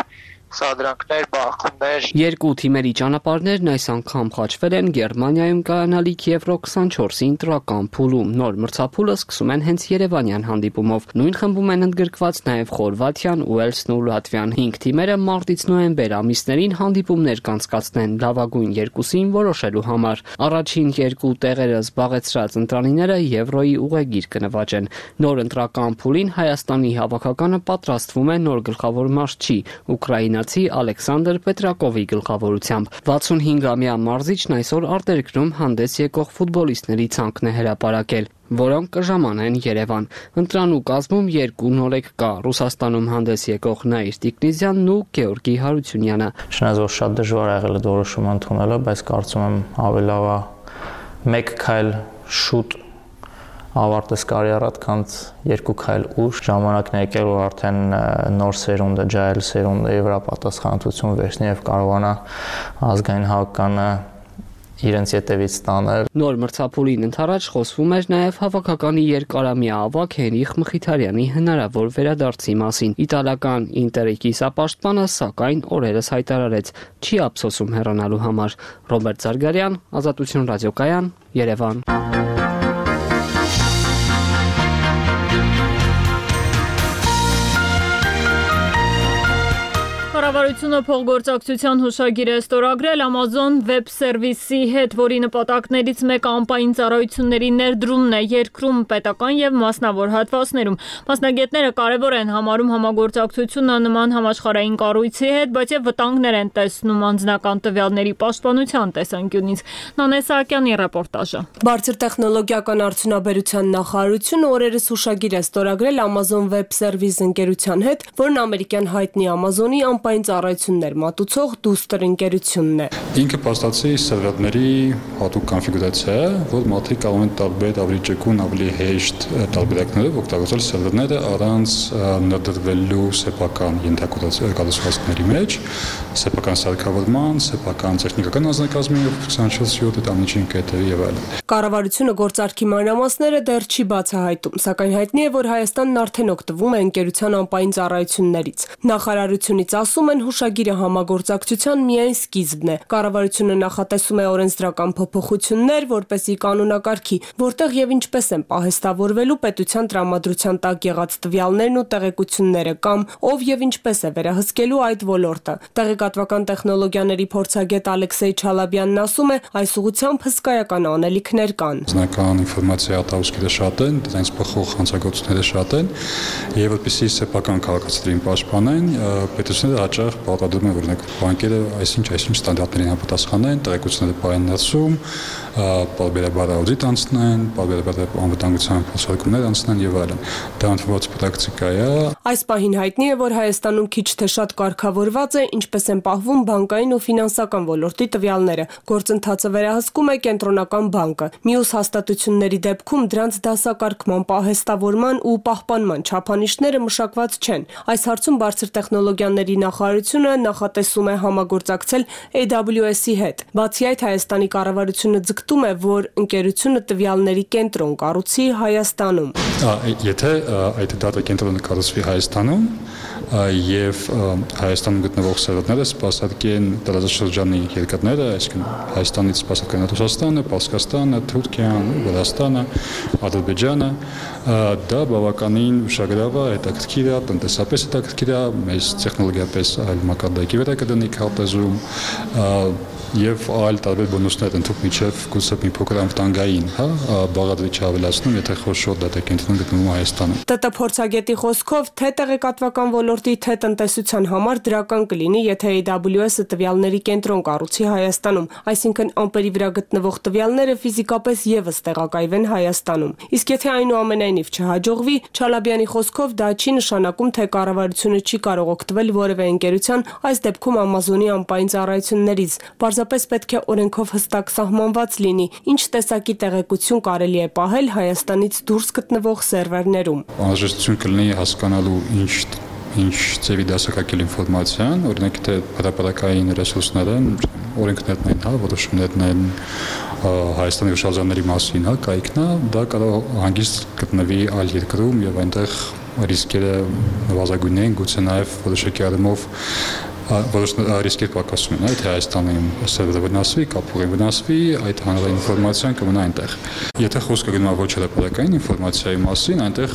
սադրանքներ, բախումներ։ Երկու թիմերի ճանապարհներն այս անգամ խաչվել են Գերմանիայում կայանալիք Եվրո 24-ի ընտրական փուլում։ Նոր մրցափուլը սկսում են հենց երևանյան հանդիպումով։ Նույն խմբում են ընդգրկված նաև Խորվաթիան, Ուելսն ու Լատվիան։ 5 թիմերը մարտից նոյեմբեր ամիսներին հանդիպումներ կանցկացնեն լավագույն երկուսին որոշելու համար։ Առաջին երկու տեղերը զբաղեցրած ընտրանիները Եվրոյի ուղեգիր կնվաճեն։ Նոր ընտրական փուլին Հայաստանի հավաքականը պատրաստվում է նոր գլխավոր մարզչի ուկրաինացի Ալեքսանդր Պետրակովի գլխավորությամբ։ 65-ամյա մարզիչն այսօր արտերկրում հանդես եկող ֆուտբոլիստների ցանկն է հրապարակել, որոնք կժամանեն Երևան։ Ընտրանու կազմում երկու նորեկ կա՝ Ռուսաստանում հանդես եկող Նաիր Տիկնիզյանն ու Գեորգի Հարությունյանը։ Չնայած որ շատ դժվար ա եղել այդ որոշումը ընդունելը, բայց կարծում եմ ավելի լավ է մեկ քայլ շուտ ավարտես կարիերատ, քան երկու քայլ ուշ։ Ժամանակն է եկել, որ արդեն նոր սերունդը, ջահել սերունդը եվրապատասխանատվություն վերցնի եւ կարողանա ազգային հավաքականը իրենց ետևից տանել։ Նոր մրցափուլին ընդառաջ խոսվում էր նաև հավաքականի երկարամյա ավագ Հենրիխ Մխիթարյանի հնարավոր վերադարձի մասին։ Իտալական Ինտերի կիսապաշտպանը սակայն օրերս հայտարարեց չի ափսոսում հեռանալու համար։ Ռոբերտ Զարգարյան, Ազատություն ռադիոկայան, Երևան։ Կառավարությունը փոխգործակցության հուշագիր է ստորագրել Amazon Web Service-ի հետ, որի նպատակներից մեկը անպայման ծառայությունների ներդրումն է երկրում պետական եւ մասնավոր հատվածներում։ Մասնագետները կարևոր են համարում համագործակցությունը նման համաշխարհային կառույցի հետ, բայց եւ վտանգներ են տեսնում անձնական տվյալների պաշտպանության տեսանկյունից։ Նանե Սահակյանի ռեպորտաժը։ Բարձր տեխնոլոգիական արդյունաբերության նախարարությունը օրերս հուշագիր է ստորագրել Amazon Web Service ընկերության հետ, որն ամերիկյան հայտնի Amazon-ի անպայման ծառայություններ մատուցող դուստր ընկերությունն է։ Ինքը փաստացի սերվերների հատուկ կոնֆիգուրացիա է, որ մարդիկ կարող են տարբեր ավելի ճկուն, ավելի հեշտ տարբերակներով օգտագործել սերվերները առանց ներդրվելու սեփական ենթակառուցվածքների մեջ, սեփական սարքավորման, սեփական տեխնիկական անձնակազմի 24/7 տանիչին կետերի եւ այլն։ Կառավարությունը գործարքի մանրամասները դեռ չի բացահայտում, սակայն հայտնի է, որ Հայաստանն արդեն օգտվում է ընկերության անպայման ծառայություններից։ Նախարարությունից ասում են հուշագիրը համագործակցության միայն սկիզբն է։ Կառավարությունը նախատեսում է օրենսդրական փոփոխություններ, որպեսզի կանոնակարգի, որտեղ եւ ինչպես են պահեստավորվելու պետության տրամադրության տակ եղած տվյալներն ու տեղեկությունները կամ ով եւ ինչպես է վերահսկելու այդ ոլորտը։ Տեղեկատվական տեխնոլոգիաների փորձագետ Ալեքսեյ Չալաբյանն ասում է, այս ուղղությամբ հսկայական անելիքներ կան։ Անձնական ինֆորմացիա արտահոսքերը շատ են, դրանց փոխող հանցագործությունները շատ են, եւ որպեսզի սեփական քաղաքացիներին պաշտպանեն, պետությունները հաճախ պարտադրում են, օրինակ, բանկերը այսինչ ստանդարտներին համապատասխանեն, տեղեկությունները պահեն ներսում, պարբերաբար աուդիտ անցնեն, պարբերաբար անվտանգության փոխհատուցումներ անցնեն եւ այլն։ Դա ընդունված պրակտիկա է։ Այս պահին հայտնի է, որ Հայաստանում քիչ թե շատ կարգավորված է, ինչպես են պահվում բանկային ու ֆինանսական ոլորտի տվյալները։ Գործընթացը վերահսկում է կենտրոնական բանկը։ Մյուս հաստատությունների դեպքում դրանց դասակարգման, պահեստավորման ու պահպանման չափանիշները մշակված չեն։ Այս հարցում բարձր տեխնոլոգիաների նախարարությունը նախատեսում է համագործակցել AWS-ի հետ։ Բացի այդ, Հայաստանի կառավարությունը ձգտում է, որ ընկերությունը տվյալների կենտրոն կառուցի Հայաստանում։ Եթե այդ դատա կենտրոնը կառուցվի Հայաստանում եւ Հայաստանում գտնվող սերվերները սպասարկեն տարածաշրջանի երկրները, այսինքն Հայաստանից սպասարկեն Ռուսաստանը, Պարսկաստանը, Թուրքիան, Վրաստանը, Ադրբեջանը, դա բավականին ուշագրավ է, հետաքրքիր է, տնտեսապես հետաքրքիր է, մեծ տեխնոլոգիապես այլ մակարդակի վրա կդնի քարտեզում եւ այլ տարբեր բոնուսներ ընդհանուր միջև գուցե մի փոքր անվտանգային, բաղադրիչ ավելացնում, եթե խոշոր դատակենտրոն գտնվում Հայաստանում։ ՏՏ փորձագետի խոսքով, թե տեղեկատվական ոլորտի, թե տնտեսության համար դրական կլինի, եթե AWS-ը տվյալների կենտրոն կառուցի Հայաստանում, այսինքն ամպերի վրա գտնվող տվյալները ֆիզիկապես եւս տեղակայվեն Հայաստանում։ Իսկ եթե այնուամենայնիվ չհաջողվի, Չալաբյանի խոսքով դա չի նշանակում, թե կառավարությունը չի կարող օգտվել որևէ ընկերության, այս դեպքում Amazon-ի անպայման ծառայություններից։ Պարզապես պետք է օրենքով հստակ սահմանված լինի, ինչ տեսակի տեղեկություն կարելի է պահել Հայաստանից դուրս գտնվող սերվերներում։ Անհրաժեշտություն կլինի հասկանալու ինչ ծավի դասակարգել ինֆորմացիան, օրինակ թե հրապարակային ռեսուրսները, օրենքներն են, որոշումներն են Հայաստանի հուշարձանների մասին, կայքն է, դա կարող հանգիստ գտնվի այլ երկրում եւ այնտեղ ռիսկերը նվազագույն են, գուցե նաեւ որոշակի առումով որոշ ռիսկեր պակասում են, թե Հայաստանի սերվերը վնասվի, կապուղին վնասվի, այդ հանրային ինֆորմացիան կմնա այնտեղ։ Եթե խոսքը գնում է ոչ հրապարակային ինֆորմացիայի մասին, այնտեղ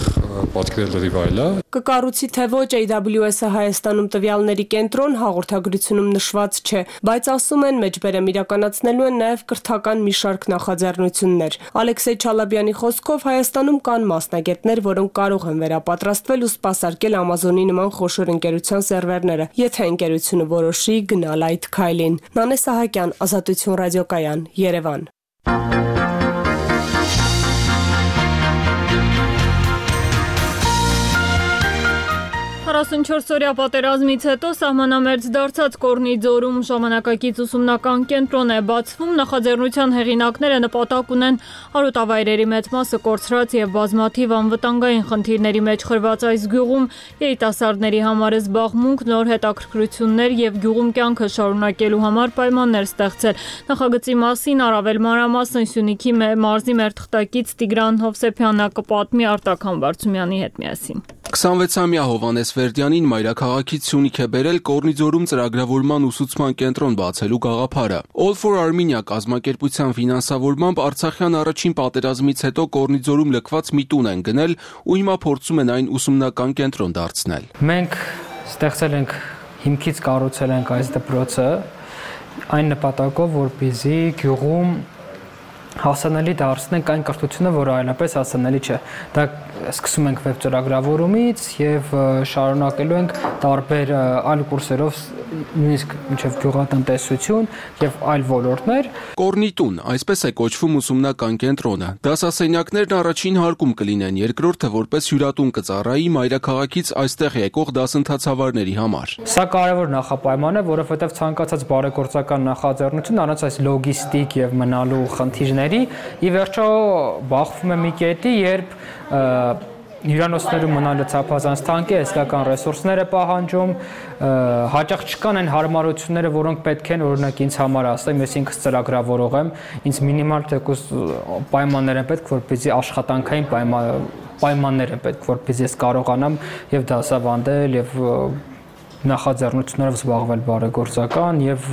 պատկերը լրիվ այլ է։ Կկառուցի թե ոչ AWS-ը Հայաստանում տվյալների կենտրոն հաղորդագրությունում նշված չէ, բայց ասում են մեջբերեմ իրականացնելու են նաև կրթական մի շարք նախաձեռնություններ։ Ալեքսեյ Չալաբյանի խոսքով Հայաստանում կան մասնագետներ, որոնք կարող են վերապատրաստվել ու սպասարկել Amazon-ի նման խոշոր ընկերության սերվերները, եթե ընկերությունը որոշի գնալ այդ քայլին։ Նանե Սահակյան, Ազատություն ռադիոկայան, Երևան։ 44-օրյա պատերազմից հետո սահմանամերձ դարձած Կորնի ձորում ժամանակակից ուսումնական կենտրոն է բացվում։ Նախաձեռնության հեղինակները նպատակ ունեն արոտավայրերի մեծ մասը կորցրած եւ բազմաթիվ անվտանգային խնդիրների մեջ խրված այս գյուղում երիտասարդների համար զբաղմունք, նոր հետաքրքրություններ եւ գյուղում կյանքը շարունակելու համար պայմաններ ստեղծել։ Նախագծի մասին առավել մանրամասն Սյունիքի մարզի մերթղթակից Տիգրան Հովսեփյանը կպատմի Արտակ Համբարձումյանի հետ միասին։ 26-ամյա Հովհաննես Վերդյանին մայրաքաղաքից Սյունիք է բերել Կորնի ձորում ծրագրավորման ուսուցման կենտրոն բացելու գաղափարը։ All for Armenia կազմակերպության ֆինանսավորմամբ Արցախյան առաջին պատերազմից հետո Կորնի ձորում լքված մի տուն են գնել ու հիմա փորձում են այն ուսումնական կենտրոն դարձնել։ Մենք ստեղծել ենք հիմքից կառուցել ենք այս դպրոցը այն նպատակով, որպեսզի գյուղում հասանելի դարձնենք այն կրթությունը, որը այլապես հասանելի չէ։ Դա սկսում ենք վեբ ծրագրավորումից եւ շարունակելու ենք տարբեր այլ կուրսերով, նույնիսկ մինչեւ գյուղատնտեսություն եւ այլ ոլորտներ։ Կորնի տուն, այսպես է կոչվում ուսումնական կենտրոնը։ Դասասենյակներն առաջին հարկում կլինեն, երկրորդը որպես հյուրատուն կծառայի մայրաքաղաքից այստեղ եկող դասընթացավարների համար։ Սա կարևոր նախապայման է, որովհետեւ ցանկացած բարեգործական նախաձեռնություն առանց այս լոգիստիկ եւ մնալու խնդիրների ի վերջո բախվում է մի կետի, երբ հյուրանոցներում մնալը ցափազանց թանկ է, հսկական ռեսուրսներ է պահանջում, հաճախ չկան այն հարմարությունները, որոնք պետք են, օրինակ ինձ համար ասեմ, ես ինքս ծրագրավորող եմ, ինձ մինիմալ թեկուզ պայմաններ են պետք, որպեսզի աշխատանքային պայմաններ են պետք, որպեսզի ես կարողանամ եւ դասավանդել եւ նախաձեռնություններով զբաղվել բարեգործական եւ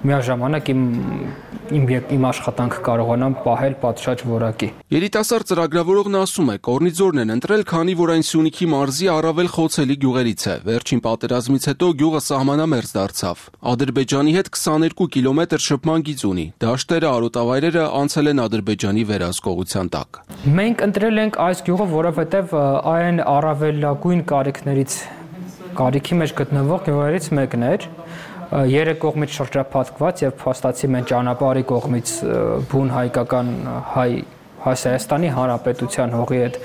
միաժամանակ իմ աշխատանքը կարողանամ պահել պատշաճ որակի։ Երիտասարդ ծրագրավորողն ասում է, Կորնի ձորն են ընտրել, քանի որ այն Սյունիքի մարզի առավել խոցելի գյուղերից է։ Վերջին պատերազմից հետո գյուղը սահմանամերձ դարձավ։ Ադրբեջանի հետ 22 կիլոմետր շփման գիծ ունի։ Դաշտերը, արոտավայրերը անցել են Ադրբեջանի վերահսկողության տակ։ Մենք ընտրել ենք այս գյուղը, որովհետեւ այն առավելագույն կարիքի մեջ գտնվող գյուղերից մեկն էր, երեք կողմից շրջափակված եւ փաստացի մենք ճանապարհի կողմից բուն հայկական Հայաստանի Հանրապետության հողի հետ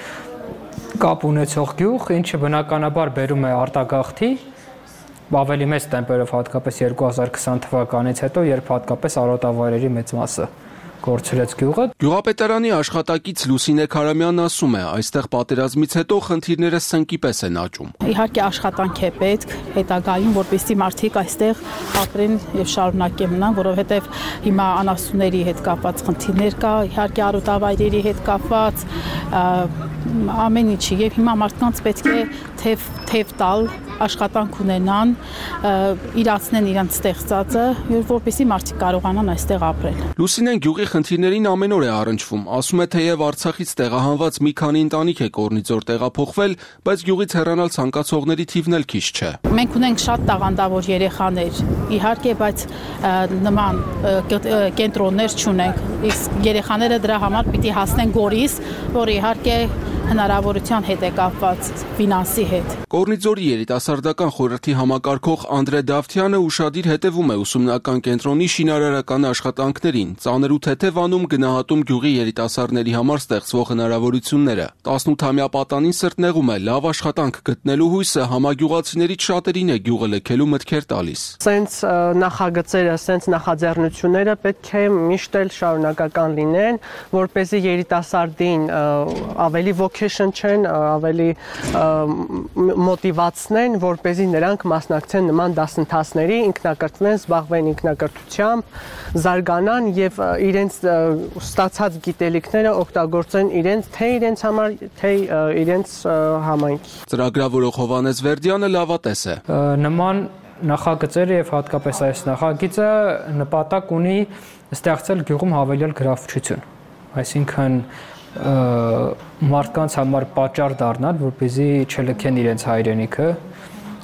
կապ ունեցող գյուղ, ինչը բնականաբար բերում է արտագաղթի ավելի մեծ տեմպերով, հատկապես 2020 թվականից հետո, երբ հատկապես արոտավայրերի մեծ մասը կորցրեց գյուղը։ Գյուղապետարանի աշխատակից Լուսինե Քարամյանն ասում է, այստեղ պատերազմից հետո խնդիրները սնկի պես են աճում։ Իհարկե աշխատանք է պետք հետագայում, որպեսզի մարդիկ այստեղ ապրեն եւ շարունակեն մնան, որովհետեւ հիմա անասունների հետ կապված խնդիրներ կա, իհարկե արոտավայրերի հետ կապված ամեն ինչի եւ հիմա մարդկանց պետք է թեև տալ, աշխատանք ունենան, իրացնեն իրենց ստեղծածը, որպեսզի մարդիկ կարողանան այստեղ ապրել։ Լուսինեն գյուղի խնդիրներին ամեն օր է առնչվում, ասում է, թեև Արցախից տեղահանված մի քանի ընտանիք է Կորնի ձոր տեղափոխվել, բայց գյուղից հեռանալ ցանկացողների թիվն էլ քիչ չէ։ Մենք ունենք շատ տաղանդավոր երեխաներ, իհարկե, բայց նման կենտրոններ չունենք։ Իսկ երեխաները դրա համար պիտի հասնեն Գորիս, որը իհարկե հնարավորության հետ է կապված ֆինանսի հետ։ Կորնի ձորի երիտասարդական խորհրդի համակարգող Անդրե Դավթյանը ուշադիր հետևում է ուսումնական կենտրոնի շինարարական աշխատանքներին, ծանր ու թեթև անում գնահատում գյուղի երիտասարդների համար ստեղծվող հնարավորությունները։ 18-ամյա պատանին սրտնեղում է, լավ աշխատանք գտնելու հույսը համագյուղացիներից շատերին է գյուղը լքելու մտքեր տալիս։ Սենց նախագծերը, սենց նախաձեռնությունները պետք է միշտ էլ շարունակական լինեն, որպեսզի երիտասարդին ավելի vocation չեն, ավելի մոտիվացնեն, որպեսզի նրանք մասնակցեն նման դասընթացների, ինքնակրթվեն, զբաղվեն ինքնակրթությամբ, զարգանան եւ իրենց ստացած գիտելիքները օգտագործեն իրենց համար, թե իրենց համայնքի։ Ծրագրավորող Հովհաննես Վերդյանը լավատես է։ Նման նախագծերը եւ հատկապես այս նախագիծը նպատակ ունի ստեղծել գյուղում հավելյալ գրավչություն, այսինքն մարդկանց համար պատճառ դառնալ, որպեսզի չլքեն իրենց հայրենիքը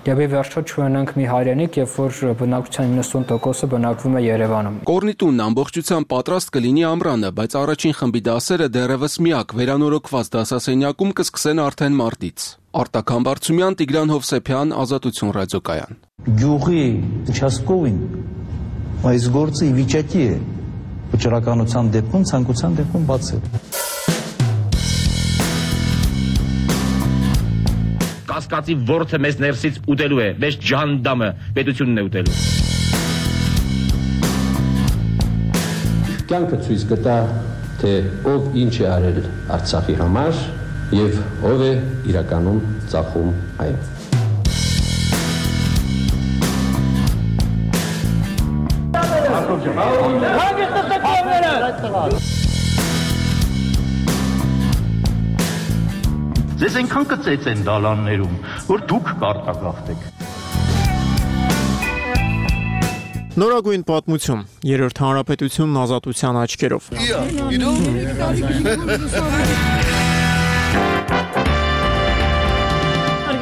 եւ ի վերջո չունենանք մի հայրենիք, երբ որ բնակչության 90%-ը բնակվում է Երևանում։ Կորնիտունն ամբողջությամբ պատրաստ կլինի ամռանը, բայց առաջին խմբի դասերը դեռևս միակ վերանորոգված դասասենյակում կսկսեն արդեն մարտից։ Արտակ Համբարձումյան, Տիգրան Հովսեփյան, Ազատություն ռադիոկայան։ Գյուղի участковին այս գործը ի վիճակի է վճռականության դեպքում, ցանկության դեպքում բացել։ Կասկածի ворթը մեզ ներսից ուտելու է, մեզ ջանդամը պետությունն է ուտելու։ Կյանքը ցույց կտա, թե ով ինչ է արել Արցախի համար եւ ով է իրականում ծախում այն։ Ձեզ այնքան կծեց են դալաններում, որ դուք կարտագաղթեք։ Նորագույն պատմություն, երրորդ հանրապետությունն ազատության աչքերով։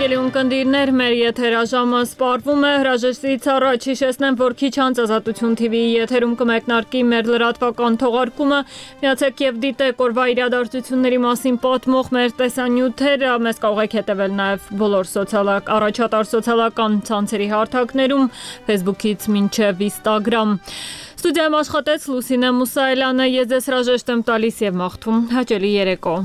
Հարգելի ունկնդիրներ, մեր եթերաժամը սպառվում է, հրաժեշտից առաջ հիշեցնեմ, որ քիչ անց Ազատություն TV-ի եթերում կմեկնարկի մեր լրատվական թողարկումը, միացեք եւ դիտեք օրվա իրադարձությունների մասին պատմող մեր տեսանյութերը, մեզ կարող եք հետևել նաեւ բոլոր առաջատար սոցիալական ցանցերի հարթակներում, Facebook-ից մինչեւ Instagram։ Ստուդիայում աշխատեց Լուսինե Մուսայելյանը, ես ձեզ հրաժեշտ եմ տալիս եւ մաղթում հաճելի երեկո։